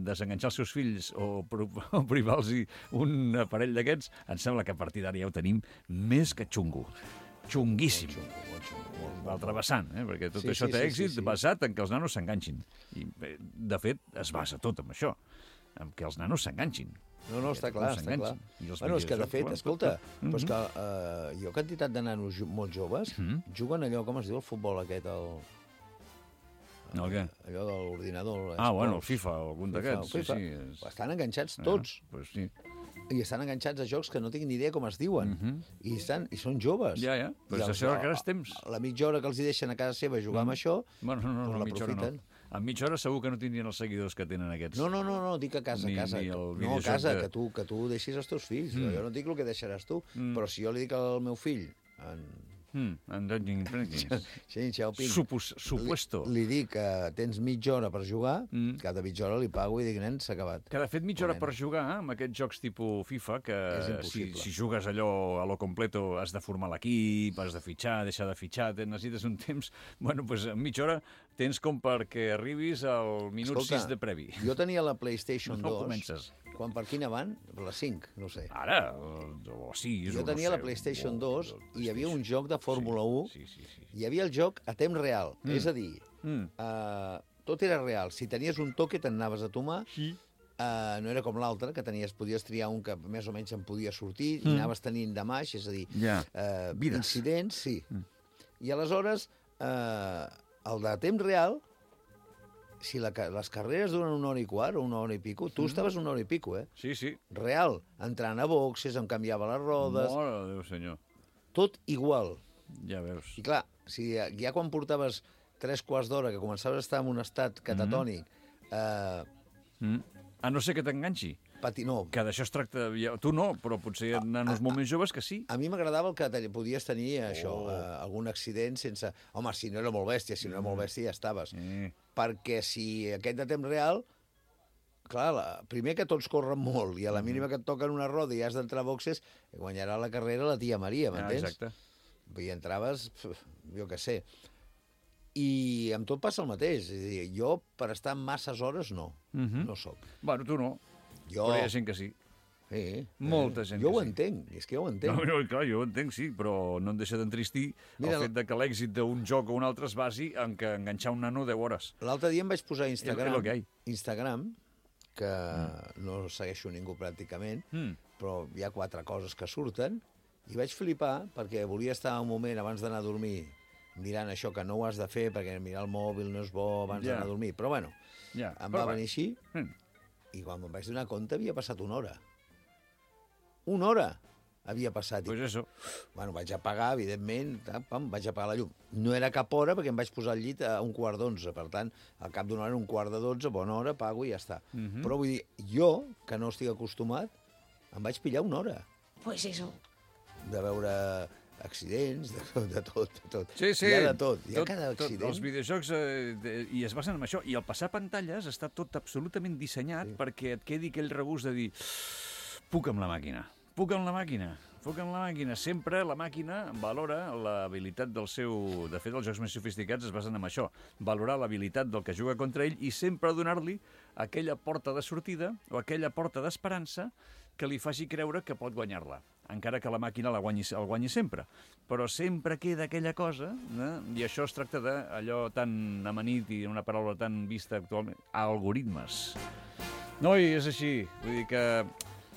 desenganxar els seus fills o, o privar-los un aparell d'aquests, em sembla que a partir d'ara ja ho tenim més que xungo. Xunguíssim. L'altre vessant, eh? Perquè tot Sí, això sí, té sí, èxit sí, sí. basat en que els nanos s'enganxin. I, eh, de fet, es basa tot en això, en que els nanos s'enganxin. No, no, està Que clar, tothom està clar. s'enganxin. I els Bueno, és que, de videojocs, fet, clar, escolta, tot, tot. però és Mhm. que uh, jo, quantitat de nanos jo- molt joves, Mhm. juguen allò, com es diu, el futbol aquest, el, El què? allò de l'ordinador. Ah, bueno, el esports. FIFA, algun d'aquests. FIFA. Sí, sí, és... Estan enganxats tots. Ah, pues sí. I estan enganxats a jocs que no tinc ni idea com es diuen. Mhm. I, estan, I són joves. Ja, ja. Però I els- això requereix temps. La mitja hora que els hi deixen a casa seva jugar amb això, Bueno, no, no, doncs no, mitja hora no. l'aprofiten. En mitja hora segur que no tindrien els seguidors que tenen aquests. No, no, no, no, dic a casa, Ni- a casa. ni el No, a videojoc casa, de- que, tu, que tu deixis els teus fills. Mm. Jo no et dic el que deixaràs tu, Mm. però si jo li dic al meu fill, en Mm, en Dungeon Dragons. Xing Xiaoping, Supus, supuesto. li, li dic que tens mitja hora per jugar, Mm. cada mitja hora li pago i dic, nen, s'ha acabat. Que de fet mitja hora Ponent. per jugar amb aquests jocs tipus FIFA, que És si, impossible. si jugues allò a lo completo has de formar l'equip, has de fitxar, deixar de fitxar, te necessites un temps... Bueno, doncs en mitja hora tens com perquè arribis al minut Escolta, sis de previ. Jo tenia la PlayStation No dos, comences. quan per quina van? La cinc, no sé. Ara, o sis, Jo o tenia no la sé, PlayStation o- dos o- i hi havia un joc de Fórmula u, Sí, sí, sí. hi havia el joc a temps real, Mm. és a dir, Mm. uh, tot era real. Si tenies un toque te'n anaves a tomar, Sí. uh, no era com l'altre, que tenies, podies triar un que més o menys en podia sortir, Mm. i anaves tenint de maix, és a dir, Ja. uh, Vides. incidents, sí. Mm. I aleshores, uh, el de temps real, si la, les carreres duren una hora i quart o una hora i pico, tu mm. estaves una hora i pico, eh? Sí, sí. Real. Entrant a boxes, em canviava les rodes... Mare de Déu, senyor. Tot igual. Ja veus. I clar, si ja quan portaves tres quarts d'hora, que començaves a estar en un estat catatònic... Mm. Eh... Mm. A no ser que t'enganxi. Pati, no. Que d'això es tracta... Tu no, però potser en nanos molt més joves que sí. A mi m'agradava el que podies tenir, això, oh. eh, algun accident sense... Home, si no era molt bèstia, si no era molt bèstia ja estaves. Mm. Perquè si aquest de temps real... Clar, la, primer que tots corren molt i a la mínima que et toquen una roda i has d'entrar a boxes, guanyarà la carrera la tia Maria, m'entens? Ah, exacte. I entraves, jo què sé... I amb tot passa el mateix. És a dir, jo, per estar masses hores, no. Mm-hmm. No soc. Bueno, tu no. Jo... Però hi ha gent que sí. Sí. Molta gent jo que ho sí. entenc, és que jo ho entenc. No, no, clar, jo ho entenc, sí, però no em deixa d'entristir Mira, el fet de que l'èxit d'un joc o un altre es basi en que enganxar un nano deu hores. L'altre dia em vaig posar a Instagram, que Instagram, que mm. no segueixo ningú pràcticament, mm. però hi ha quatre coses que surten, i vaig flipar perquè volia estar un moment abans d'anar a dormir mirant això, que no ho has de fer, perquè mirar el mòbil no és bo abans yeah. d'anar a dormir. Però, bueno, yeah. em va però venir així, mm. i quan me'n vaig donar compte havia passat una hora. Una hora havia passat. Pues I, eso. Bueno, vaig apagar, evidentment, pam, vaig apagar la llum. No era cap hora, perquè em vaig posar al llit a un quart d'onze. Per tant, al cap d'una hora, un quart de dotze, bona hora, apago i ja està. Mm -hmm. Però vull dir, jo, que no estic acostumat, em vaig pillar una hora. Pues eso. De veure... accidents, de tot, de tot, de tot. Sí, sí. Hi ha de tot, hi ha tot, cada accident. Tot, els videojocs, eh, de, i es basen en això. I el passar pantalles està tot absolutament dissenyat sí. perquè et quedi aquell regust de dir puc amb la màquina, puc amb la màquina, puc amb la màquina. Sempre la màquina valora l'habilitat del seu... De fet, els jocs més sofisticats es basen en això, valorar l'habilitat del que juga contra ell i sempre donar-li aquella porta de sortida o aquella porta d'esperança que li faci creure que pot guanyar-la, encara que la màquina la guanyi, el guanyi sempre. Però sempre queda aquella cosa, eh? I això es tracta d'allò tan amanit i una paraula tan vista actualment, algoritmes. No, i és així. Vull dir que,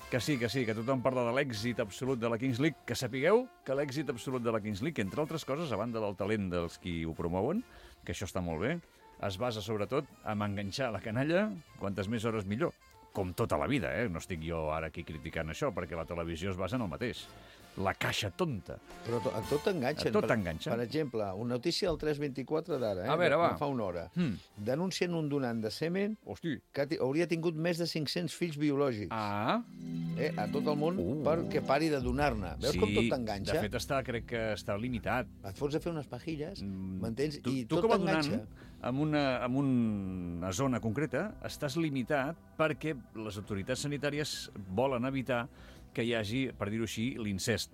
que sí, que sí, que tothom parla de l'èxit absolut de la Kings League, que sapigueu que l'èxit absolut de la Kings League, entre altres coses, a banda del talent dels qui ho promouen, que això està molt bé, es basa sobretot en enganxar la canalla quantes més hores millor. Com tota la vida, eh? No estic jo ara aquí criticant això, perquè la televisió es basa en el mateix. La caixa tonta. Però to, a tot t'enganxen. A tot t'enganxen. Per, per exemple, una notícia del tres vint-i-quatre d'ara, eh? A veure, va. fa una hora. Hmm. Denuncien un donant de semen Hosti. que hauria tingut més de cinc-cents fills biològics. Ah. Eh? A tot el món uh. perquè pari de donar-ne. Veus sí, com tot t'enganxa? De fet, està, crec que està limitat. Et fots a fer unes pajilles, m'entens? Tu, I tu tot Tu t'enganxa. en una, en una zona concreta estàs limitat perquè les autoritats sanitàries volen evitar que hi hagi, per dir-ho així, l'incest.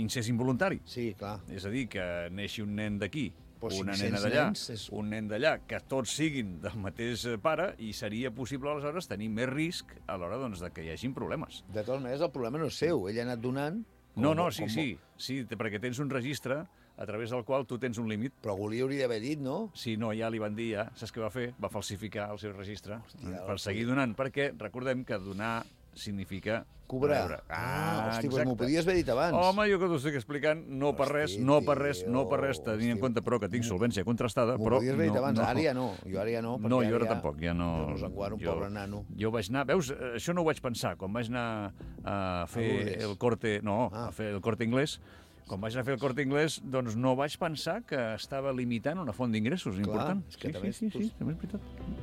Incest involuntari. Sí, clar. És a dir, que neixi un nen d'aquí, Però una cinc-cents nena d'allà, nens és- un nen d'allà, que tots siguin del mateix pare, i seria possible, aleshores, tenir més risc a l'hora doncs, de que hi hagin problemes. De totes maneres, el problema no és seu. Ell ha anat donant... Com, No, no, sí, com... sí, sí, perquè tens un registre a través del qual tu tens un límit. Però algú li hauria d'haver dit, no? Si no, ja li van dir, ja, saps què va fer? Va falsificar el seu registre. Hòstia, per seguir donant, perquè recordem que donar significa Cobrar. rebre. Ah, hosti, doncs exacte. m'ho podies haver dit abans. Home, jo que t'ho estic explicant, no per res, Hosti, no per res, tio, no per res, tenint en hosti. compte, però que tinc solvència contrastada, M'ho però... podies haver dit no, abans, no. ara ja no. Jo ara ja no, perquè No, jo ara ara ja... tampoc, ja no... Jo no s'enguaro, un pobre nano. Jo vaig anar... Veus, això no ho vaig pensar, quan vaig anar a fer Lourdes. el corte... No, Ah. a fer el corte inglès, quan vaig anar a fer el Corte Inglés, doncs no vaig pensar que estava limitant una font d'ingressos important. és que sí, també sí, sí, és- sí, també és veritat.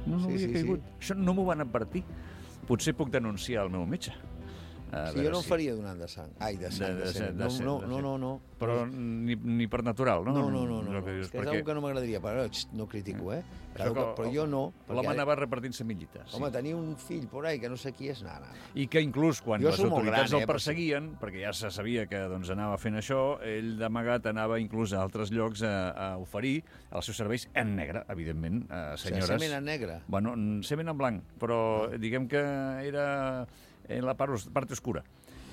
No, no Sí, havia sí, caigut. sí. Això no m'ho van advertir. Potser puc denunciar el meu metge. A Sí, veure jo no si- ho faria donant de sang. Ai, de sang, de, de- sang. de- No, de- no, de- no, no, no. Però ni, ni per natural, no? No, no, no, no. El que no. dius, És que és perquè una que no m'agradaria, però xt, no critico, eh? Això Però, que però jo no. L'home perquè- anava repartint semillites. Home, tenir un fill por ahí que no sé qui és, no, no, no. I que inclús quan Jo les sóc molt autoritats gran, el eh, per perseguien, perquè ja se sabia que doncs, anava fent això, ell d'amagat anava inclús a altres llocs a, a oferir els seus serveis en negre, evidentment, a senyores... O sigui, semen en negre. Bueno, mm, semen en blanc, però Ah. diguem que era en la part, os- part oscura.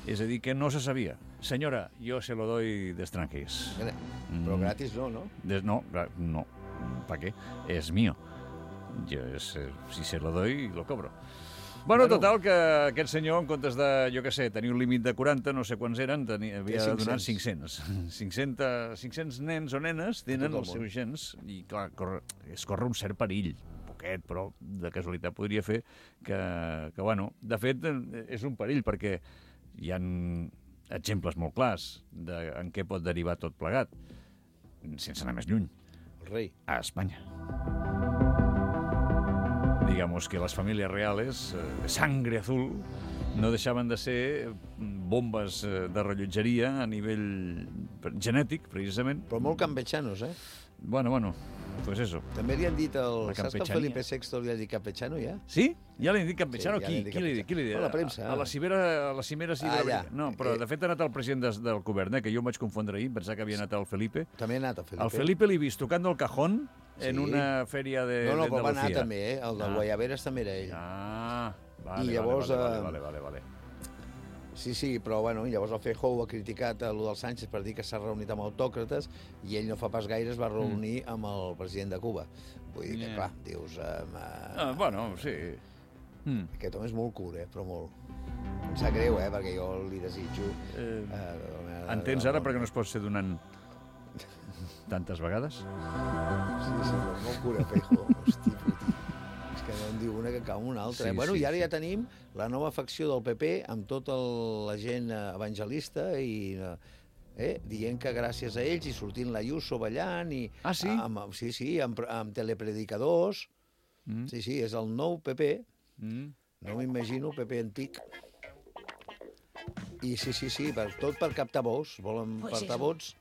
És a dir, que no se sabia. Senyora, yo se lo doy de extranjers. Però gratis no, no? De, no, gra- no. ¿Para qué? Es mío. Yo, es, eh, si se lo doy, lo cobro. Bueno, Bueno. total, que aquest senyor, en comptes de, jo què sé, tenir un límit de quaranta, no sé quants eren, tenia, havia donat cinc-cents. cinc-cents. cinc-cents nens o nenes tenen tot el els seus gens i, clar, corre, es corre un cert perill. poquet, però de casualitat podria fer que, que bueno, de fet, és un perill, perquè hi ha exemples molt clars de en què pot derivar tot plegat, sense anar més lluny. El rei. A Espanya. Digamos que las familias reales, eh, sangre azul, no deixaven de ser bombes de rellotgeria a nivell genètic, precisament. Però molt campechanos, eh? Bueno, bueno, pues eso. També li han dit el... La Saps que el campechania. Felipe sexto li ha dit campechano, ja? Sí? Ja li han dit campechano? Sí, ja qui? li han dit Qui li ha dit? Qui li ha dit? campechano. A la premsa. A, a la cimera, a la cimera sí. Ah, de la... ja. No, però Eh. de fet ha anat el president des, del govern, eh, que jo em vaig confondre ahir, pensava que havia anat el Felipe. També ha anat el Felipe. El Felipe l'he vist tocant el cajón en Sí. una fèria de No, no, però va anar d'Andalucía. també, eh? El de Ah. Guayaberes també era ell. Ah, vale, I llavors, vale, vale, eh, vale, vale, vale. Sí, sí, però bueno, llavors el Feijóo ha criticat a lo del Sánchez per dir que s'ha reunit amb autòcrates i ell no fa pas gaire es va reunir mm. amb el president de Cuba. Vull dir que, Yeah. clar, dius... Um, Ah, uh, bueno, sí. Mm. Aquest home és molt curt, eh? Però molt. Em sap greu, eh? Perquè jo li desitjo... Eh, Uh, entens ara perquè no es pot ser donant tantes vegades? Sí, sí, però és molt curt, eh, Feijóo. Hosti, puti. És que no en diu una que cau una altra. Sí, eh? Bueno, sí, i ara sí. ja tenim la nova facció del P P amb tota la gent eh, evangelista i... eh, eh, dient que gràcies a ells i sortint l'Ayuso ballant i... Ah, sí? Amb, sí, sí, amb, amb telepredicadors. Mm. Sí, sí, és el nou P P. Mm. No m'imagino, P P antic. I sí, sí, sí, per, tot per captar vots. Volen Pues portar eso. vots.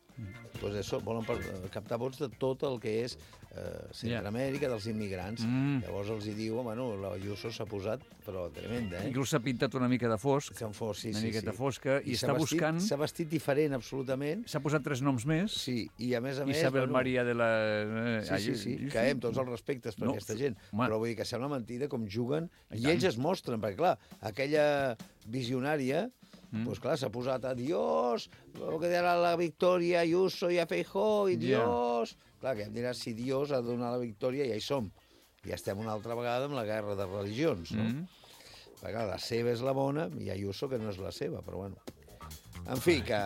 Pues eso, volen per, captar vots de tot el que és eh, Centroamèrica, dels immigrants. Mm. Llavors els hi diu, bueno, l'Ayuso s'ha posat, però tremenda, eh? Inclús s'ha pintat una mica de fosc, S'han fos, sí, una sí, miqueta sí. fosca, i, s'ha està vestit- buscant... S'ha vestit diferent, absolutament. S'ha posat tres noms més. Sí, i a més a més... Isabel bueno, Maria de la... Sí, sí, sí, que amb tots els respectes per No, aquesta gent. home. Però vull dir que sembla mentida com juguen, I i, tant. ells es mostren, perquè clar, aquella visionària, Mm. pues clar, s'ha posat a Dios, que darà la victòria a Ayuso i a Feijóo, i Ja. Dios... Clar, que em diràs si Dios ha de donar la victòria, ja hi som. Ja estem una altra vegada amb la guerra de religions, no? Mm. Perquè clar, la seva és la bona i Ayuso que no és la seva, però bueno. En fi, que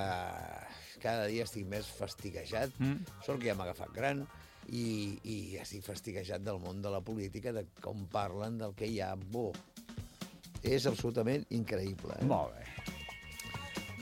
cada dia estic més fastiguejat. Mm. Sort que ja m'ha agafat gran i, i estic fastiguejat del món de la política, de com parlen, del que hi ha bo. És absolutament increïble. Eh? Molt bé.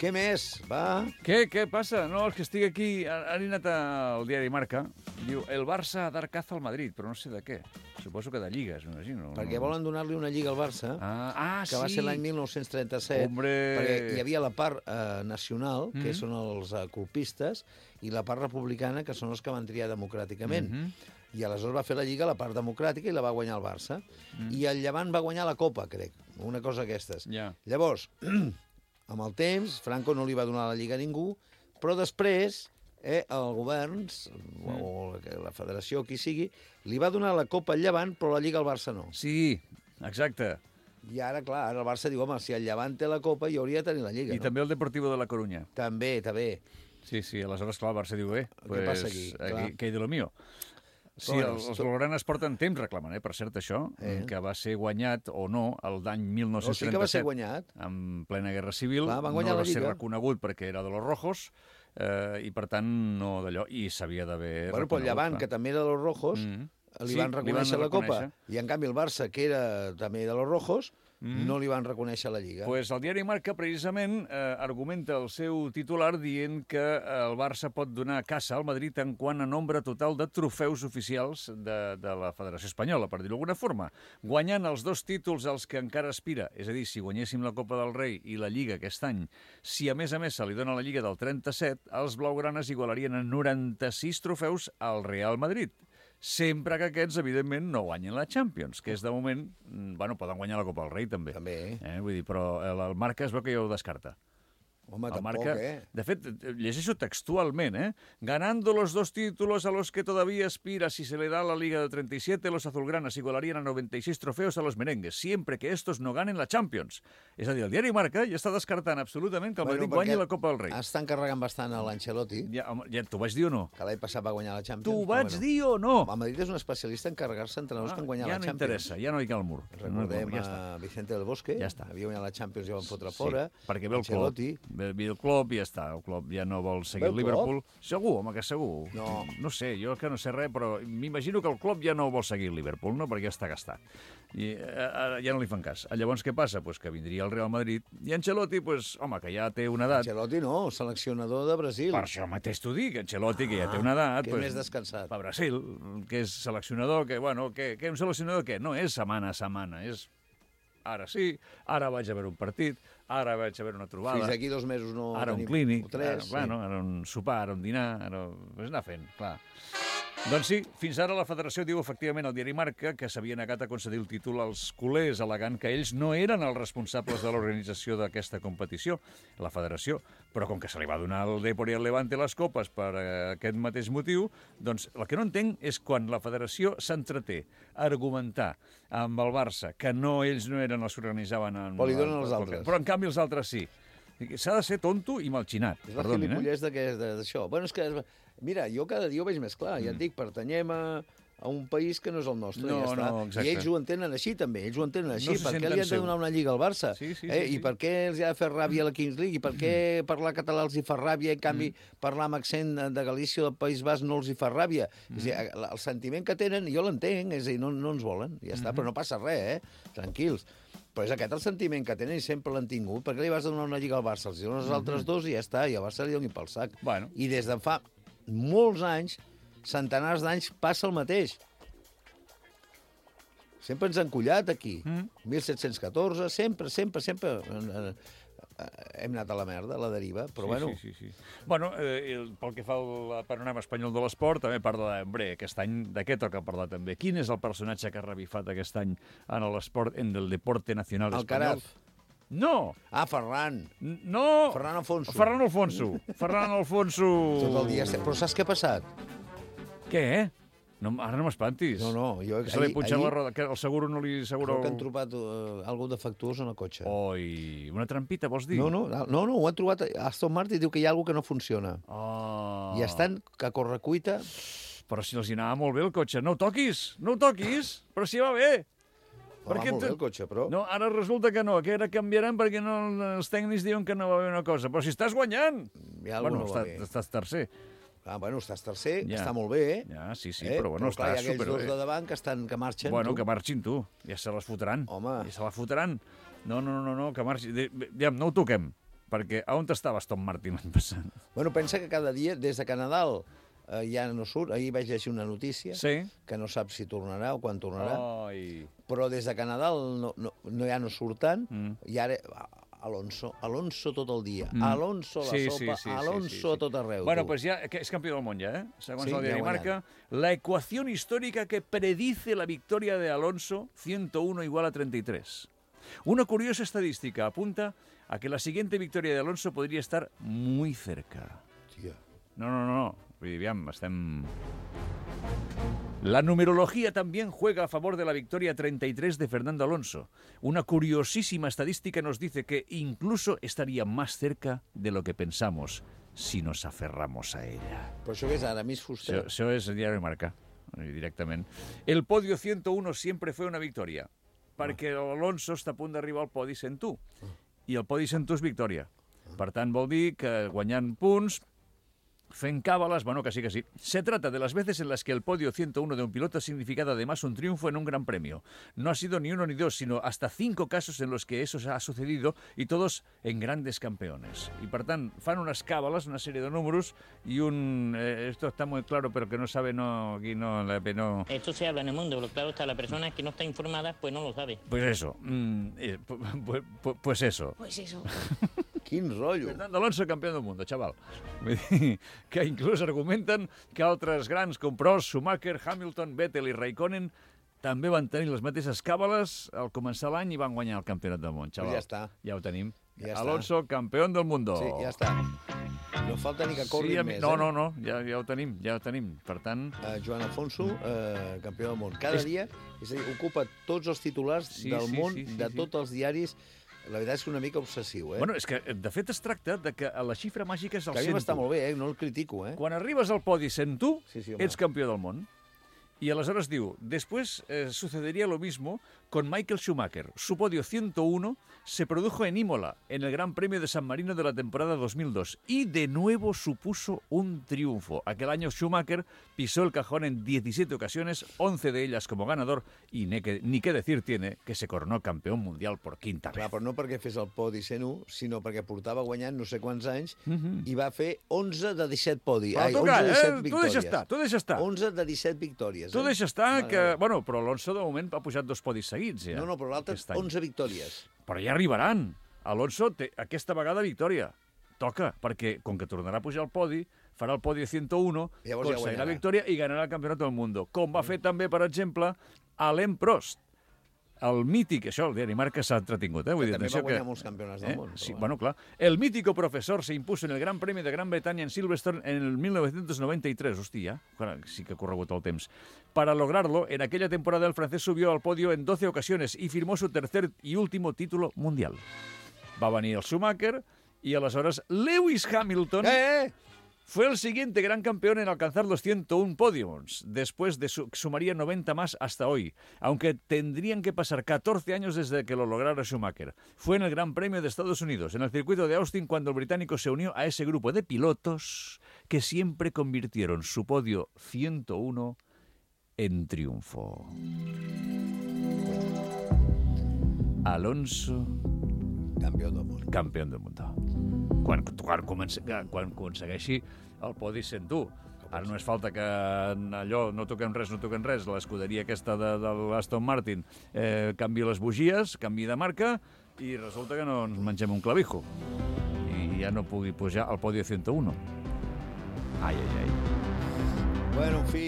Què més? Va? Què, què passa? No, és que estic aquí... Han anat al diari Marca. Diu, el Barça dar caza al Madrid, però no sé de què. Suposo que de lligues, m'imagino. Perquè volen donar-li una lliga al Barça, Ah, ah que va sí. ser l'any mil nou-cents trenta-set, Hombre. perquè hi havia la part eh, nacional, que Mhm. són els eh, colpistes, i la part republicana, que són els que van triar democràticament. Mhm. I aleshores va fer la Lliga la part democràtica i la va guanyar el Barça. Mm. I el Llevant va guanyar la Copa, crec, una cosa d'aquestes. Ja. Llavors, amb el temps, Franco no li va donar la Lliga a ningú, però després eh, el govern, o, o la federació, qui sigui, li va donar la Copa al Llevant, però la Lliga al Barça no. Sí, exacte. I ara, clar, ara el Barça diu, home, si el Llevant té la Copa, jo hauria de tenir la Lliga, I no? també el Deportivo de la Coruña. També, també. Sí, sí, aleshores, clar, el Barça diu, bé, pues, passa aquí? Clar. aquí què hi de lo mío? Sí, Bueno, els, els tot- blaugranes porten temps reclamant, eh, per cert, això, Eh. que va ser guanyat o no el d'any mil No, nou-cents sí que va ser trenta-set, guanyat. en plena Guerra Civil. Clar, van guanyar no la va ser Lliga. reconegut perquè era de los rojos, eh, i per tant no d'allò, i s'havia d'haver Bueno, però el Llevant, que també era de los rojos, Mm. li Sí, van li van reconèixer la Copa, reconèixer. i en canvi el Barça, que era també de los rojos, Mm. no li van reconèixer la Lliga. Pues el diari Marca, precisament, eh, argumenta el seu titular dient que el Barça pot donar caça al Madrid en quant a nombre total de trofeus oficials de, de la Federació Espanyola, per dir-ho d'alguna forma, guanyant els dos títols als que encara aspira. És a dir, si guanyéssim la Copa del Rei i la Lliga aquest any, si a més a més se li dona la Lliga del trenta-set, els blaugranes igualarien en noranta-sis trofeus al Real Madrid. Sempre que aquests, evidentment, no guanyen la Champions, que és, de moment, mm, bueno, poden guanyar la Copa del Rei, també. També. Eh, vull dir, però el, el Marca es veu que ja ho descarta. Home, El tampoc, Marca, eh? de fet, llegeixo textualment, ¿eh? Ganando los dos títulos a los que todavía aspira si se le da la Liga del trenta y siete, los azulgranas igualarían a noventa y seis trofeos a los merengues, siempre que estos no ganen la Champions. És a dir, el diari Marca ja està descartant absolutament que el Madrid guanyi perquè la Copa del Rei. Estan carregant bastant a l'Ancelotti, Ja, home, ja t'ho vaig dir o no? que l'any passat va guanyar la Champions. T'ho però vaig bueno. dir o no? El Madrid és un especialista en carregar-se entrenadors que han guanyat ja la no Champions. interessa, ja no hi cal mur. Recordem ja està. a Vicente del Bosque, Ja està. havia guanyat la Champions i el van fotre Sí, fora. perquè ve el Ancelotti, Colom. ve el Klopp i ja està. El Klopp ja no vol seguir el Ve el Liverpool. Segur, home, que segur. No. No sé, jo que no sé res, però m'imagino que el Klopp ja no vol seguir el Liverpool, no? Perquè ja està gastat. I eh, ja no li fan cas. Llavors, què passa? Pues que vindria el Real Madrid i Ancelotti, pues, home, que ja té una edat... Ancelotti no, seleccionador de Brasil. Per això mateix t'ho dic, Ancelotti, que ja té una edat... que més descansat. Per Brasil, que és seleccionador, que, bueno, que, que un seleccionador que no és setmana a setmana, és ara sí, ara vaig a veure un partit, ara vaig a veure una trobada... Fins aquí dos mesos no ara un tenim clínic, tres, ara, sí. bueno, ara un sopar, ara un dinar, ara... Pues anar fent, clar. Doncs sí, fins ara la federació diu efectivament al diari Marca que s'havia negat a concedir el títol als culers, al·legant que ells no eren els responsables de l'organització d'aquesta competició, la federació. Però com que se li va donar al Depor i al Levante les copes per eh, aquest mateix motiu, doncs el que no entenc és quan la federació s'entreté a argumentar amb el Barça que no ells no eren els que organitzaven... En, Però li donen els altres. Però en canvi els altres sí. S'ha de ser tonto i malxinat. És la Perdonin, gilipollès eh? d'això. Bueno, és que, mira, jo cada dia ho veig més clar. Mm. Ja et dic, pertanyem a, a un país que no és el nostre. No, ja està. no, exacte. I ells ho entenen així, també. Ells ho entenen així. No se per què senten li han de seu. donar una lliga al Barça? Sí, sí, eh? sí, sí. I per què els ha de fer ràbia a la Kings League? I per què parlar català els hi fa ràbia i, en canvi, mm. parlar amb accent de Galícia o del País Basc no els hi fa ràbia? Mm. És a dir, el sentiment que tenen, jo l'entenc, és a dir, no, no ens volen, ja està, mm. però no passa res, eh? Tranquils. Però és aquest el sentiment que tenen i sempre l'han tingut. Per què li vas donar una lliga al Barça? Els dones els altres dos i ja està, i al Barça li donin pel sac. Bueno. I des de fa molts anys, centenars d'anys, passa el mateix. Sempre ens han collat aquí. Mm. mil set-cents catorze, sempre, sempre, sempre hem anat a la merda, a la deriva, però sí, bueno... Sí, sí, sí. Bueno, eh, pel que fa al panorama espanyol de l'esport, també parla de... Hombre, aquest any, de què toca parlar també? Quin és el personatge que ha revifat aquest any en l'esport, en el deporte nacional espanyol? Alcaraz. No! Ah, Ferran. No! Ferran Alfonso. Ferran Alfonso. Ferran Alfonso. Tot el dia... Però saps què ha passat? Què? No, ara no m'espantis. No, no, jo... Que se li ha punxat la roda, que el seguro no li assegura... Crec que han trobat uh, algú defectuós en el cotxe. Oi, una trampita, vols dir? No, no, no, no, ho han trobat... Aston Martin diu que hi ha alguna que no funciona. Oh. I estan a correcuita... Però si els hi anava molt bé el cotxe. No ho toquis, no ho toquis, però si va bé. Va molt bé el cotxe, però... No, ara resulta que no, que ara canviaran perquè no, els tècnics diuen que no va bé una cosa. Però si estàs guanyant... Ja bueno, no està, va bé. estàs tercer. Ah, bueno, estàs tercer, Ja. està molt bé, eh? Ja, sí, sí, eh? però bueno, clar, està hi ha aquells superbé. dos de davant que, estan, que marxen, Bueno, tu. que marxin tu, ja se les fotran. Home. Ja se la fotran. No, no, no, no, que marxin. Digue'm, no ho toquem, perquè a on estava Aston Martin l'any passat? Bueno, pensa que cada dia, des de que Nadal eh, ja no surt, ahir vaig llegir una notícia Sí. que no sap si tornarà o quan tornarà, Ai. però des de que Nadal no, no, no ja no surt tant, Mm. i ara... Alonso, Alonso tot el dia. Mm. Alonso la Sí, sopa, sí, sí, Alonso sí, sí, sí. a tot arreu. Bueno, tu. pues ya que es campeón del mundo ya, ¿eh? Según Sí, el diario ya Marca, la ecuación histórica que predice la victoria de Alonso, ciento uno igual a treinta y tres. Una curiosa estadística apunta a que la siguiente victoria de Alonso podría estar muy cerca. Tia. No, no, no, no. Vull dir, aviam, estem... La numerología también juega a favor de la victoria treinta y tres de Fernando Alonso. Una curiosísima estadística nos dice que incluso estaría más cerca de lo que pensamos si nos aferramos a ella. Però això què és ara, Miss Fuster? Eso, eso es el diario Marca, directamente. El podio ciento uno siempre fue una victoria, perquè Alonso està a punt d'arribar al podi cent u. I el podi cent u és victòria. Per tant, vol dir que guanyant punts, fent cábalas, bueno, que sí, que sí. Se trata de las veces en las que el podio ciento uno de un piloto ha significado además un triunfo en un gran premio. No ha sido ni uno ni dos, sino hasta cinco casos en los que eso ha sucedido y todos en grandes campeones. Y per tant, fan unas cábalas, una serie de números y un... Eh, esto está muy claro, pero que no sabe, no... Aquí no, no... Esto se habla en el mundo, pero claro está, la persona que no está informada, pues no lo sabe. Pues eso. Mm, eh, pues, pues, pues eso. Pues eso. Quin rotllo. Fernando Alonso, campeón del mundo, chaval. Vull dir que inclús argumenten que altres grans com Prost, Schumacher, Hamilton, Vettel i Raikkonen també van tenir les mateixes càbales al començar l'any i van guanyar el campionat del món, xaval. Pues ja està. Ja ho tenim. Ja Alonso, campeón del mundo. Sí, ja està. No falta ni que corri sí, més, no, eh? No, no, ja, ja ho tenim, ja ho tenim. Per tant... Uh, Joan Alfonso, uh, campió del món. Cada És... dia, és a dir, ocupa tots els titulars Sí, del sí, món, sí, sí, de sí. tots els diaris. La veritat és que una mica obsessiu, eh? Bueno, és que, de fet, es tracta de que la xifra màgica és el que a mi cent u. m'està molt bé, eh? No el critico, eh? Quan arribes al podi cent u, Sí, sí, home. ets campió del món. Y aleshores diu, después eh, sucedería lo mismo con Michael Schumacher. Su podio ciento uno se produjo en Imola, en el Gran Premio de San Marino de la temporada dos mil dos, y de nuevo supuso un triunfo. Aquel año Schumacher pisó el cajón en diecisiete ocasiones, once de ellas como ganador, y ni que, ni qué decir tiene que se coronó campeón mundial por quinta vez. Clar, però no perquè fes el podi cent u, sinó perquè portava guanyant no sé quants anys Mhm. i va fer onze de disset podi. Però Ai, tu onze calla, de disset eh? Tu victòries. deixa estar, tu deixa estar. onze de disset victòries. Tu eh? deixa estar Vale, que... vale. Bueno, però Alonso de moment ha pujat dos podis seguits, ja. No, no, però l'altre aquest any. onze victòries. Però ja arribaran. Alonso té aquesta vegada victòria. Toca, perquè com que tornarà a pujar al podi, farà el podi ciento uno, Llavors ja aconseguirà guanyarà. victòria i ganarà el Campionat del Mundo. Com va fer també, per exemple, Alain Prost. El mític, això, el diari Marca s'ha entretingut, eh? Vull Que dir, també va atenció guanyar que... molts campionats del món, però Sí, bueno. bueno, clar. El mítico profesor se impuso en el Gran Premio de Gran Bretaña en Silverstone en el mil novecientos noventa y tres. Hostia, ja, sí que ha corregut el temps. Para lograrlo, en aquella temporada el francés subió al podio en doce ocasiones y firmó su tercer y último título mundial. Va venir el Schumacher y aleshores Lewis Hamilton Eh, eh! fue el siguiente gran campeón en alcanzar los ciento uno podiums. Después de su sumaría noventa más hasta hoy, aunque tendrían que pasar catorce años desde que lo lograra Schumacher. Fue en el Gran Premio de Estados Unidos, en el circuito de Austin, cuando el británico se unió a ese grupo de pilotos que siempre convirtieron su podio ciento uno en triunfo. Alonso, Campió del món. campió del mundo. Quan, quan, comença, quan aconsegueixi el podi cent u. Ara només falta que en allò no toquem res, no toquem res, l'escuderia aquesta de, de l'Aston Martin eh, canvi les bugies, canvi de marca, i resulta que no ens mengem un clavijo. I ja no pugui pujar al podi cent u. Ai, ai, ai. Bueno, en fi,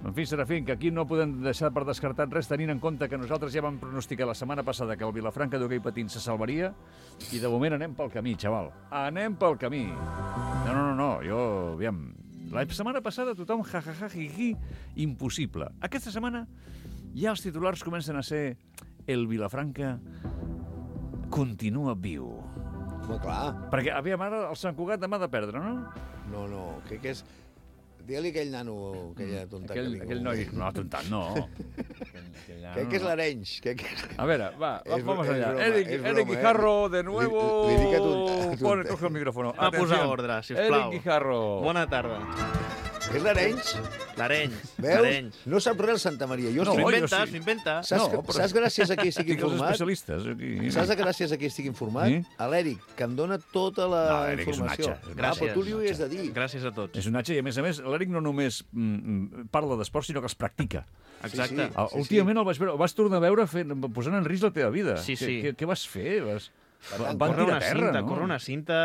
En fi, Serafín, que aquí no podem deixar per descartat res, tenint en compte que nosaltres ja vam pronosticar la setmana passada que el Vilafranca d'hoquei patins se salvaria, i de moment anem pel camí, xaval. Anem pel camí. No, no, no, no, jo, aviam, la setmana passada tothom ja, ja, ja, ji, ji, impossible. Aquesta setmana ja els titulars comencen a ser el Vilafranca continua viu. home, clar. Perquè, aviam, ara el Sant Cugat demà ha de perdre, no? No, no, crec que és... Digue-li aquell nano, aquella tonta Aquell, que diu. aquell noi... No, tontat, no. Aquell, aquell nano, Crec que és no. l'Arenys. Crec que... A ver, va, Es vamos bro- es allá. broma, Eric, es Eric broma, ¿eh? Guijarro, de nuevo. Li- li dic a tu- a tu- Pone, coge el micrófono. Va Atención. posar ordre, sisplau. Eric Guijarro. Bona tarda. És l'Arenys? L'Arenys. Veus? L'Arenys. No sap res el Santa Maria. Jo No, S'ho estic... jo inventa, sí. s'ho inventa. Saps, No, que, però- saps gràcies a qui estic Tinc els informat? especialistes aquí. Saps que gràcies a qui estic informat? Sí? A l'Eric, que em dona tota la No, l'Eric és un informació. atxa. Ah, Gràcies. però tu li ho has de dir. Gràcies a tots. És un atxa i, a més a més, l'Eric no només mm, parla d'esport, sinó que els practica. Exacte. Sí, El, sí. últimament el vaig veure, el vas tornar a veure fent, posant en risc la teva vida. Sí, Què- sí. Què, què vas fer? Vas, van Corre tirar una a terra, cinta, no? corre una cinta...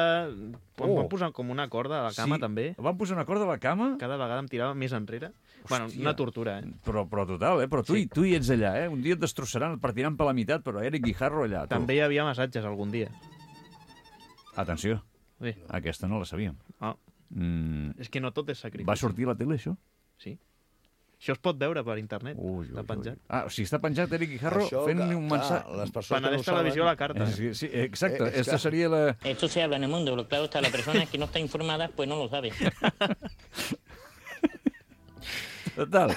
Oh. Em van posar com una corda a la cama, Sí. també. Van posar una corda a la cama? Cada vegada em tirava més enrere. Bueno, Hòstia. una tortura, eh? Però, però total, eh? Però tu, Sí. hi, tu hi ets allà, eh? Un dia et destrossaran, et partiran per la meitat, però Eric Guijarro allà. Tu. També hi havia massatges algun dia. Atenció, Bé, aquesta no la sabíem. ah, Mm, és que no tot és sacrifici. va sortir a la tele, això? Sí. Això es pot veure per internet. Ui, ui, Està penjat. ui. Ah, o sigui, està penjat Eric Guijarro Això, fent-li que- un clar, mensatge. les persones Penedès que no ho Televisió a la saben... carta. Eh, sí, sí, exacte. Eh, és Esta que- seria la... Esto se habla en el mundo, lo claro está, la persona que no está informada, pues no lo sabe. Total.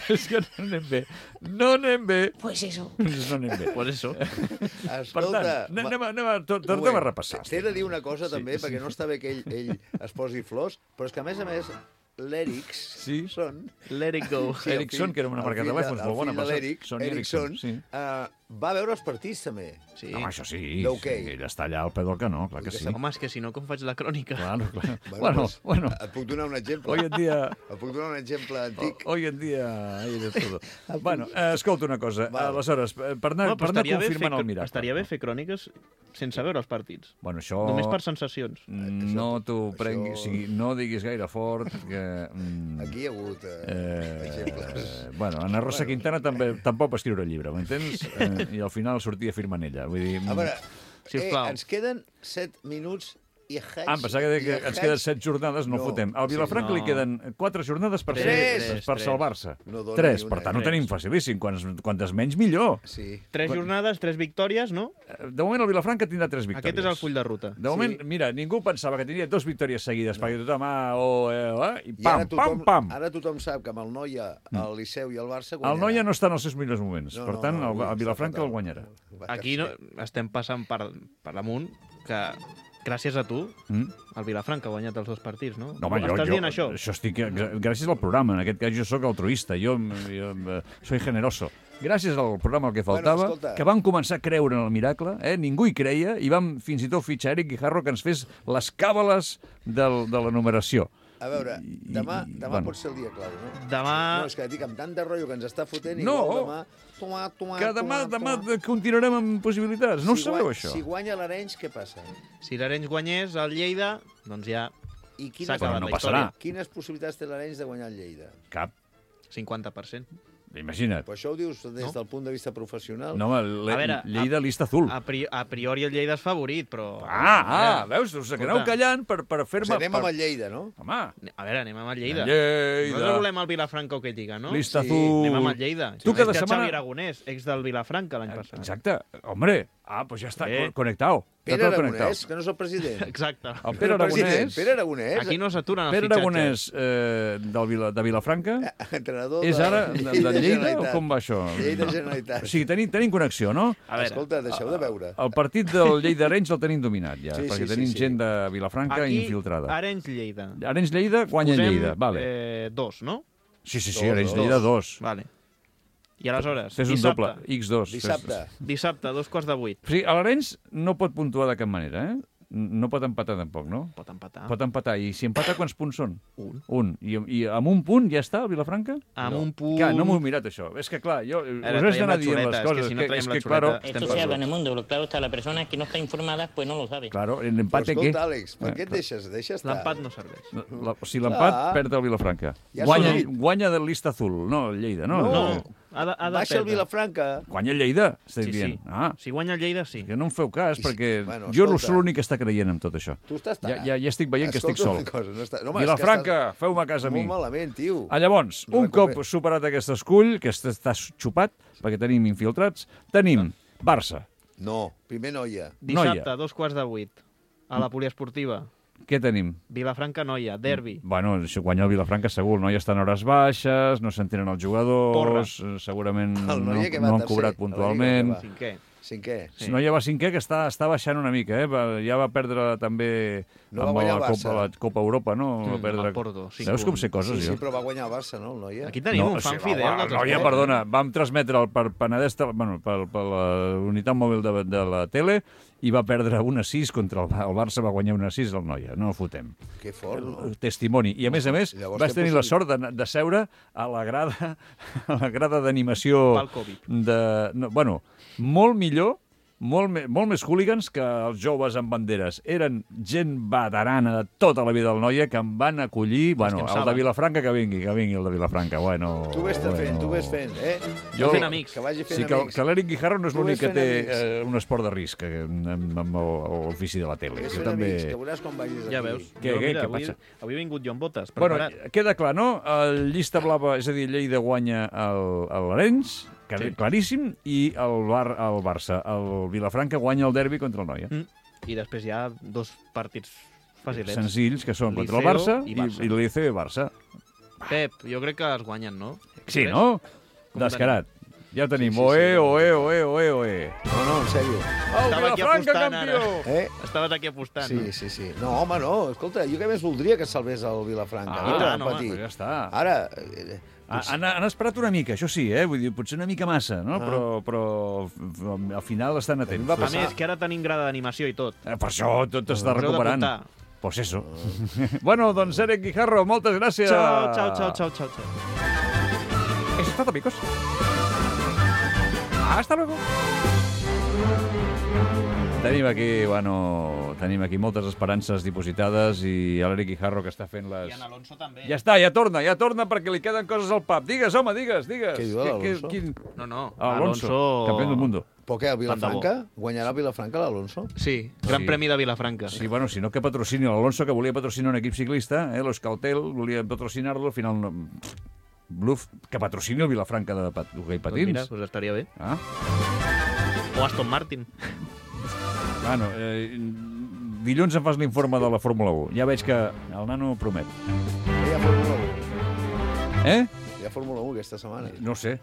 És que no anem bé. No anem bé. Pues eso. No anem bé. Por eso. Per Escolta, tant, anem, a- anem a, to- un tornem a moment. repassar. T'he de dir una cosa, Sí, també, sí. perquè no està bé que ell, ell es posi flors, però és que, a més a més, l'Erics Sí. són... Let it go. Sí, el Ericsson, fill- que era una el marca de fill telèfons el molt bona, fill per de cert. l'Eric, Sony Ericsson, Ericsson, sí. eh, va veure els partits, també. Sí. Home, això sí. D'hoquei. Ell està allà al peu del canó, clar que Que sí. Home, és que si no, com faig la crònica? Claro, claro. Bueno, Bueno, doncs, bueno. Et puc donar un exemple. Hoy en día... Et puc donar un exemple antic. Hoy en dia hay de todo. Bueno, eh, escolta una cosa. Vale. Aleshores, eh, per anar, No, per però anar estaria bé, confirmant fer, el miracle. estaria bé fer cròniques sense veure els partits. Bueno, això... Només per sensacions. No t'ho això- prenguis... O sigui, no diguis gaire fort que... Mm, Aquí hi ha hagut eh, Eh, exemples. bueno, Ana Rosa Bueno. Quintana també tampoc va escriure el llibre, m'entens? Eh, I al final sortia firmant ella. Vull dir, A veure, eh, Sisplau. ens queden set minuts I Hech, Ah, em pensava que, que i ens Hech- queden set jornades, no, No. fotem. Al Vilafranca Sí, li no. queden quatre jornades per, Tres, ser, tres, per tres. salvar-se. No dona Tres, ni per una, tant ho tres. tenim facilíssim. Quantes, quantes menys, millor. Sí. Tres jornades, tres victòries, no? De moment el Vilafranca tindrà tres victòries. Aquest és el full de ruta. De moment, Sí. mira, ningú pensava que tindria dos victòries seguides, perquè tothom, ah, oh, eh, eh, i I pam, ara tothom, pam, pam. ara tothom sap que amb el Noia, el Liceu i el Barça El guanyarà. Noia no està en els seus millors moments. No, per no, tant, no, el, avui el està Vilafranca fatal. el guanyarà. Va Aquí no, tercer. estem passant per, per damunt que gràcies a tu Mm? el Vilafranca ha guanyat els dos partits, no? No, home, jo, Estàs jo, dient això? això estic, gràcies al programa. En aquest cas jo sóc altruista, jo, jo eh, soy generoso. Gràcies al programa el que faltava, Bueno, escolta. que vam començar a creure en el miracle, eh? Ningú hi creia, i vam fins i tot fitxar Eric Guijarro que ens fes les càbales del, de la numeració. A veure, I- demà, i- demà bueno. pot ser el dia clau, no? Demà... No, és que dic, amb tant de rotllo que ens està fotent, No. igual demà... Toma, toma, Que demà, toma, demà toma. continuarem amb possibilitats. No ho Si sabeu, guany- això? Si guanya l'Arenys, què passa? Si l'Arenys guanyés el Lleida, doncs ja I s'ha quines, acabat Però no la passarà. història. quines possibilitats té l'Arenys de guanyar el Lleida? Cap. cinquanta per cent. Imagina't. Però això ho dius des No? del punt de vista professional? No, home, A veure, le, Lleida lista azul. A, pri a priori el Lleida és favorit, però... Ah, ah, veus? Us aneu Escolta. callant per, per Pues fer-me... anem per... amb el Lleida, no? Home, A veure, anem amb el Lleida. Lleida. Nosaltres volem el Vilafranca o que diga, no? Lista Sí, azul. Anem amb el Lleida. Tu cada És que setmana- Xavi Aragonès, ex del Vilafranca l'any passat. Exacte. Hombre, ah, pues ja està Eh. co- conectado. Pere Està tot conectado. Aragonès, que no és el president. Exacte. El Pere president, Aragonès, Pere Aragonès, Aquí no s'aturen els Pere fitxatges. Aragonès eh, del Vila, de Vilafranca, entrenador és de, ara de, de Lleida o com va això? Lleida Generalitat. O sigui, tenim, tenim connexió, no? A veure, Escolta, deixeu de veure. El partit del Lleida-Arenys el tenim dominat ja, Sí, sí, perquè sí, tenim sí. gent de Vilafranca aquí, infiltrada. Arenys-Lleida. Arenys-Lleida guanya Posem, Lleida, vale. Eh, dos, no? Sí, sí, sí, dos, Arenys-Lleida dos. Vale. I aleshores, Fes un dissabte, doble, ics dos. Dissabte. dissabte, dos quarts de vuit. O sigui, a l'Arenys no pot puntuar de cap manera, eh? No pot empatar tampoc, no? Pot empatar. Pot empatar. I si empata, quants punts són? Un. Un. I, i amb un punt ja està, el Vilafranca? Amb No. un punt... Clar, no m'ho he mirat, això. És que, clar, jo... Ara, us has traiem d'anar la dient xuleta, les és que coses. si no que, traiem és la que, xuleta, claro, estem Esto se perduts. habla en el mundo, pero claro está, la persona que no está informada pues no lo sabe. claro, el Però empate, què? escolta, Àlex, per Eh, què et deixes? Deixa estar. L'empat no serveix. La, si l'empat, Clar. perd el Vilafranca. Ja s'ha guanya, dit. guanya del Lista Azul, no el Lleida, no? No. Ha de, ha de Baixa el perdre. Vilafranca. Guanya el Lleida, estic Sí, dient. sí. Ah, Si guanya el Lleida, sí. que no em feu cas, I- perquè bueno, jo escolta. sóc l'únic que està creient en tot això. Tu estàs... Ja, ja, ja estic veient que estic Escolta sol. una cosa, no està... no, home, és que Vilafranca, feu-me cas a estàs mi. Molt malament, tio. Ah, llavors, un Recuper- cop superat aquest escull, que està, està xupat, perquè tenim infiltrats, tenim Barça. No, primer Noia. Dissabte, Noia. dos quarts de vuit. A la poliesportiva. Què tenim? Vilafranca, Noia, derbi. Bueno, això guanya el Vilafranca segur, no? Ja estan hores baixes, no s'entenen els jugadors, eh, segurament El no, Noia que va no han tercer, cobrat a la puntualment. Lliga, Cinquè. Cinquè. Si no, ja va cinquè, que està, està baixant una mica, eh? Va- Ja va perdre també No va amb guanyar la el Copa, Barça. la Copa Europa, no? Mm, va perdre... el Porto, cinc Veus com punts. sé coses, Sí, sí, jo? però va guanyar el Barça, no, el Noia? Aquí tenim un fan o sigui, fidel la- dels la noia, esports. perdona, vam transmetre per Penedès, Tel- bueno, per, per la unitat mòbil de, de la tele i va perdre un a sis contra el, el Barça, va guanyar un a sis el Noia, no el fotem. Que fort, no? Testimoni. I a més a més, Llavors, vas què tenir la possibil- sort de, de seure a la grada a la grada d'animació Pel Covid. de... No, bueno, molt millor, molt, me, molt més hooligans que els joves amb banderes. Eren gent veterana de tota la vida del Noia que em van acollir... Bueno, que en el de saben. Vilafranca que vingui, que vingui el de Vilafranca. Bueno, Tu vés bueno. fent, tu vés fent, eh? Jo- Fent amics. Que vagi fent Sí, que, amics. que l'Eric Guijarro no és Tu l'únic ves que fent té amics. eh, un esport de risc eh, amb, amb el- l'ofici de la tele. Vés Jo fent també... amics, que veuràs com vagis aquí. Ja veus. Què, Jo, què, mira, què avui, passa? avui he vingut jo amb botes, Bueno, preparat. queda clar, no? El llista blava, és a dir, Lleida guanya el, el l'Arenys, que Sí. claríssim, i el, Bar, el Barça. El Vilafranca guanya el derbi contra el Noia. Mm. I després hi ha dos partits facilets. Senzills, que són contra el Liceo Barça i i, Barça. i el Liceo i Barça. Pep, jo crec que els guanyen, no? Sí, Creus? no? Com Descarat. Ja ho tenim. Sí, sí, Oe, sí. oe, oe, oe, oe. No, no, en sèrio. El Estava aquí Vilafranca, apostant campió! Eh? Estaves aquí apostant. Sí, sí, sí. No, home, no. Escolta, jo què més voldria que salvés el Vilafranca? Ah, no? i tant, El home, petit. Però ja està. Ara, eh, Ah, Han, han esperat una mica, això sí, eh? Vull dir, potser una mica massa, no? Ah. Però, però f- al final estan atents. va A passar- més, que ara tenim grada d'animació i tot. Eh, per això tot està Us heu recuperant. d'apuntar. Pues eso. Bueno, doncs Eric Guijarro, moltes gràcies. Ciao, ciao, ciao, ciao, ciao, ciao. Eso es todo, amigos. Hasta luego. Tenim aquí, bueno, tenim aquí moltes esperances dipositades i l'Eric Guijarro que està fent les... I en Alonso també. Ja està, ja torna, ja torna perquè li queden coses al pap. Digues, home, digues, digues. Què diu l'Alonso? quin- No, no, Alonso, Alonso... campió del mundo. Però què, el Vilafranca? Guanyarà el Vilafranca l'Alonso? Sí, Gran Sí. Premi de Vilafranca. Sí, bueno, si no que patrocini l'Alonso, que volia patrocinar un equip ciclista, eh, l'Euskaltel, volia patrocinar-lo, al final no... Bluff, que patrocini el Vilafranca de pat... hoquei Pues patins. mira, pues estaria bé. Ah, O Aston Martin. bueno, eh, dilluns em fas l'informe de la Fórmula u. Ja veig que el nano promet. Hi ha Fórmula u. Eh? Hi ha Fórmula u aquesta setmana. No sé.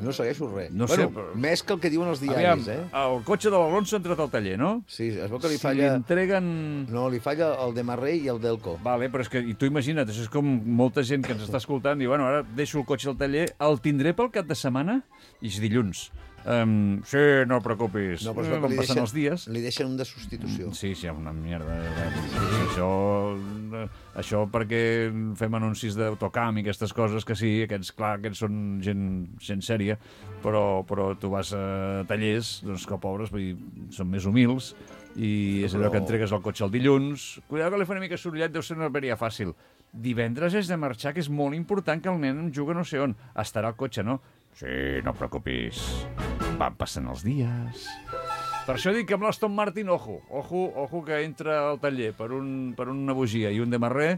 No segueixo res. No bueno, sé, però- més que el que diuen els Aviam, diaris, eh? el cotxe de l'Alonso ha entrat al taller, no? Sí, es veu que li Si falla... entreguen... No, li falla el de Marrey i el Delco. Vale, però és que, i tu imagina't, això és com molta gent que ens està escoltant, diu, bueno, ara deixo el cotxe al taller, el tindré pel cap de setmana? I és dilluns. Um, sí, no et preocupis. No, però es Eh, veu que com li passen deixen, els dies... li deixen un de substitució. Sí, sí, una mierda. Sí. Això, això perquè fem anuncis d'autocamp i aquestes coses, que sí, aquests, clar, aquests són gent, gent sèria, però, però tu vas a tallers, doncs que pobres, vull dir, són més humils, i és allò Però- que entregues el cotxe el dilluns. Cuidado que li fa una mica sorollat, deu ser una veria fàcil. Divendres és de marxar, que és molt important que el nen em juga no sé on. Estarà al cotxe, no? Sí, no et preocupis. Van passant els dies. Per això dic que amb l'Aston Martin, ojo, ojo, ojo que entra al taller per, un, per una bugia i un de marrer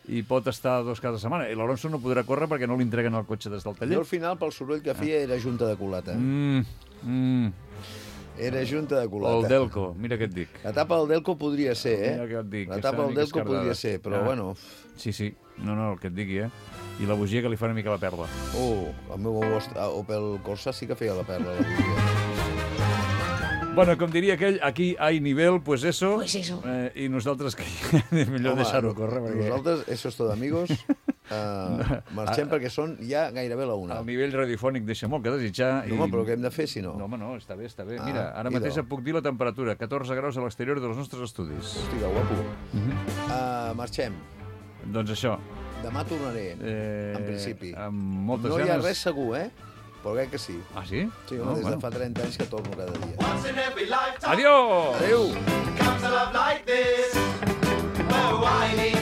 i pot estar dos cada setmana. I l'Alonso no podrà córrer perquè no li entreguen el cotxe des del Jo taller. al final, pel soroll que feia, era junta de culata. Mm, mm. Era junta de culata. El Delco, mira què et dic. La tapa del Delco podria ser, eh? Mira què et dic. La que tapa està una del mica Delco esquerdada. podria ser, però Ah. bueno... Sí, sí. No, no, el que et digui, eh? I la bugia que li fa una mica la perla. Oh, el meu Opel Corsa sí que feia la perla. La bugia. Bueno, com diria aquell, aquí hay nivel, pues eso. Pues eso. Eh, I nosaltres que és millor Home, deixar-ho córrer. Perquè Nosaltres, eso es todo, amigos. Uh, marxem perquè són ja gairebé la una. el nivell radiofònic deixa molt que desitjar. No, home, però què hem de fer, si no? No, home, no, està bé, està bé. Ah, Mira, ara idò. mateix et puc dir la temperatura, catorze graus a l'exterior dels nostres estudis. Hosti, que guapo. Mhm. Uh, marxem. Doncs això. Demà tornaré, Eh, en principi. Amb moltes No hi ganes... ha res segur, eh? Però crec que sí. Ah, sí? Sí, home, No, des bueno. de fa trenta anys que torno cada dia. Adiós! Adéu! Comes a love like this. Oh, I need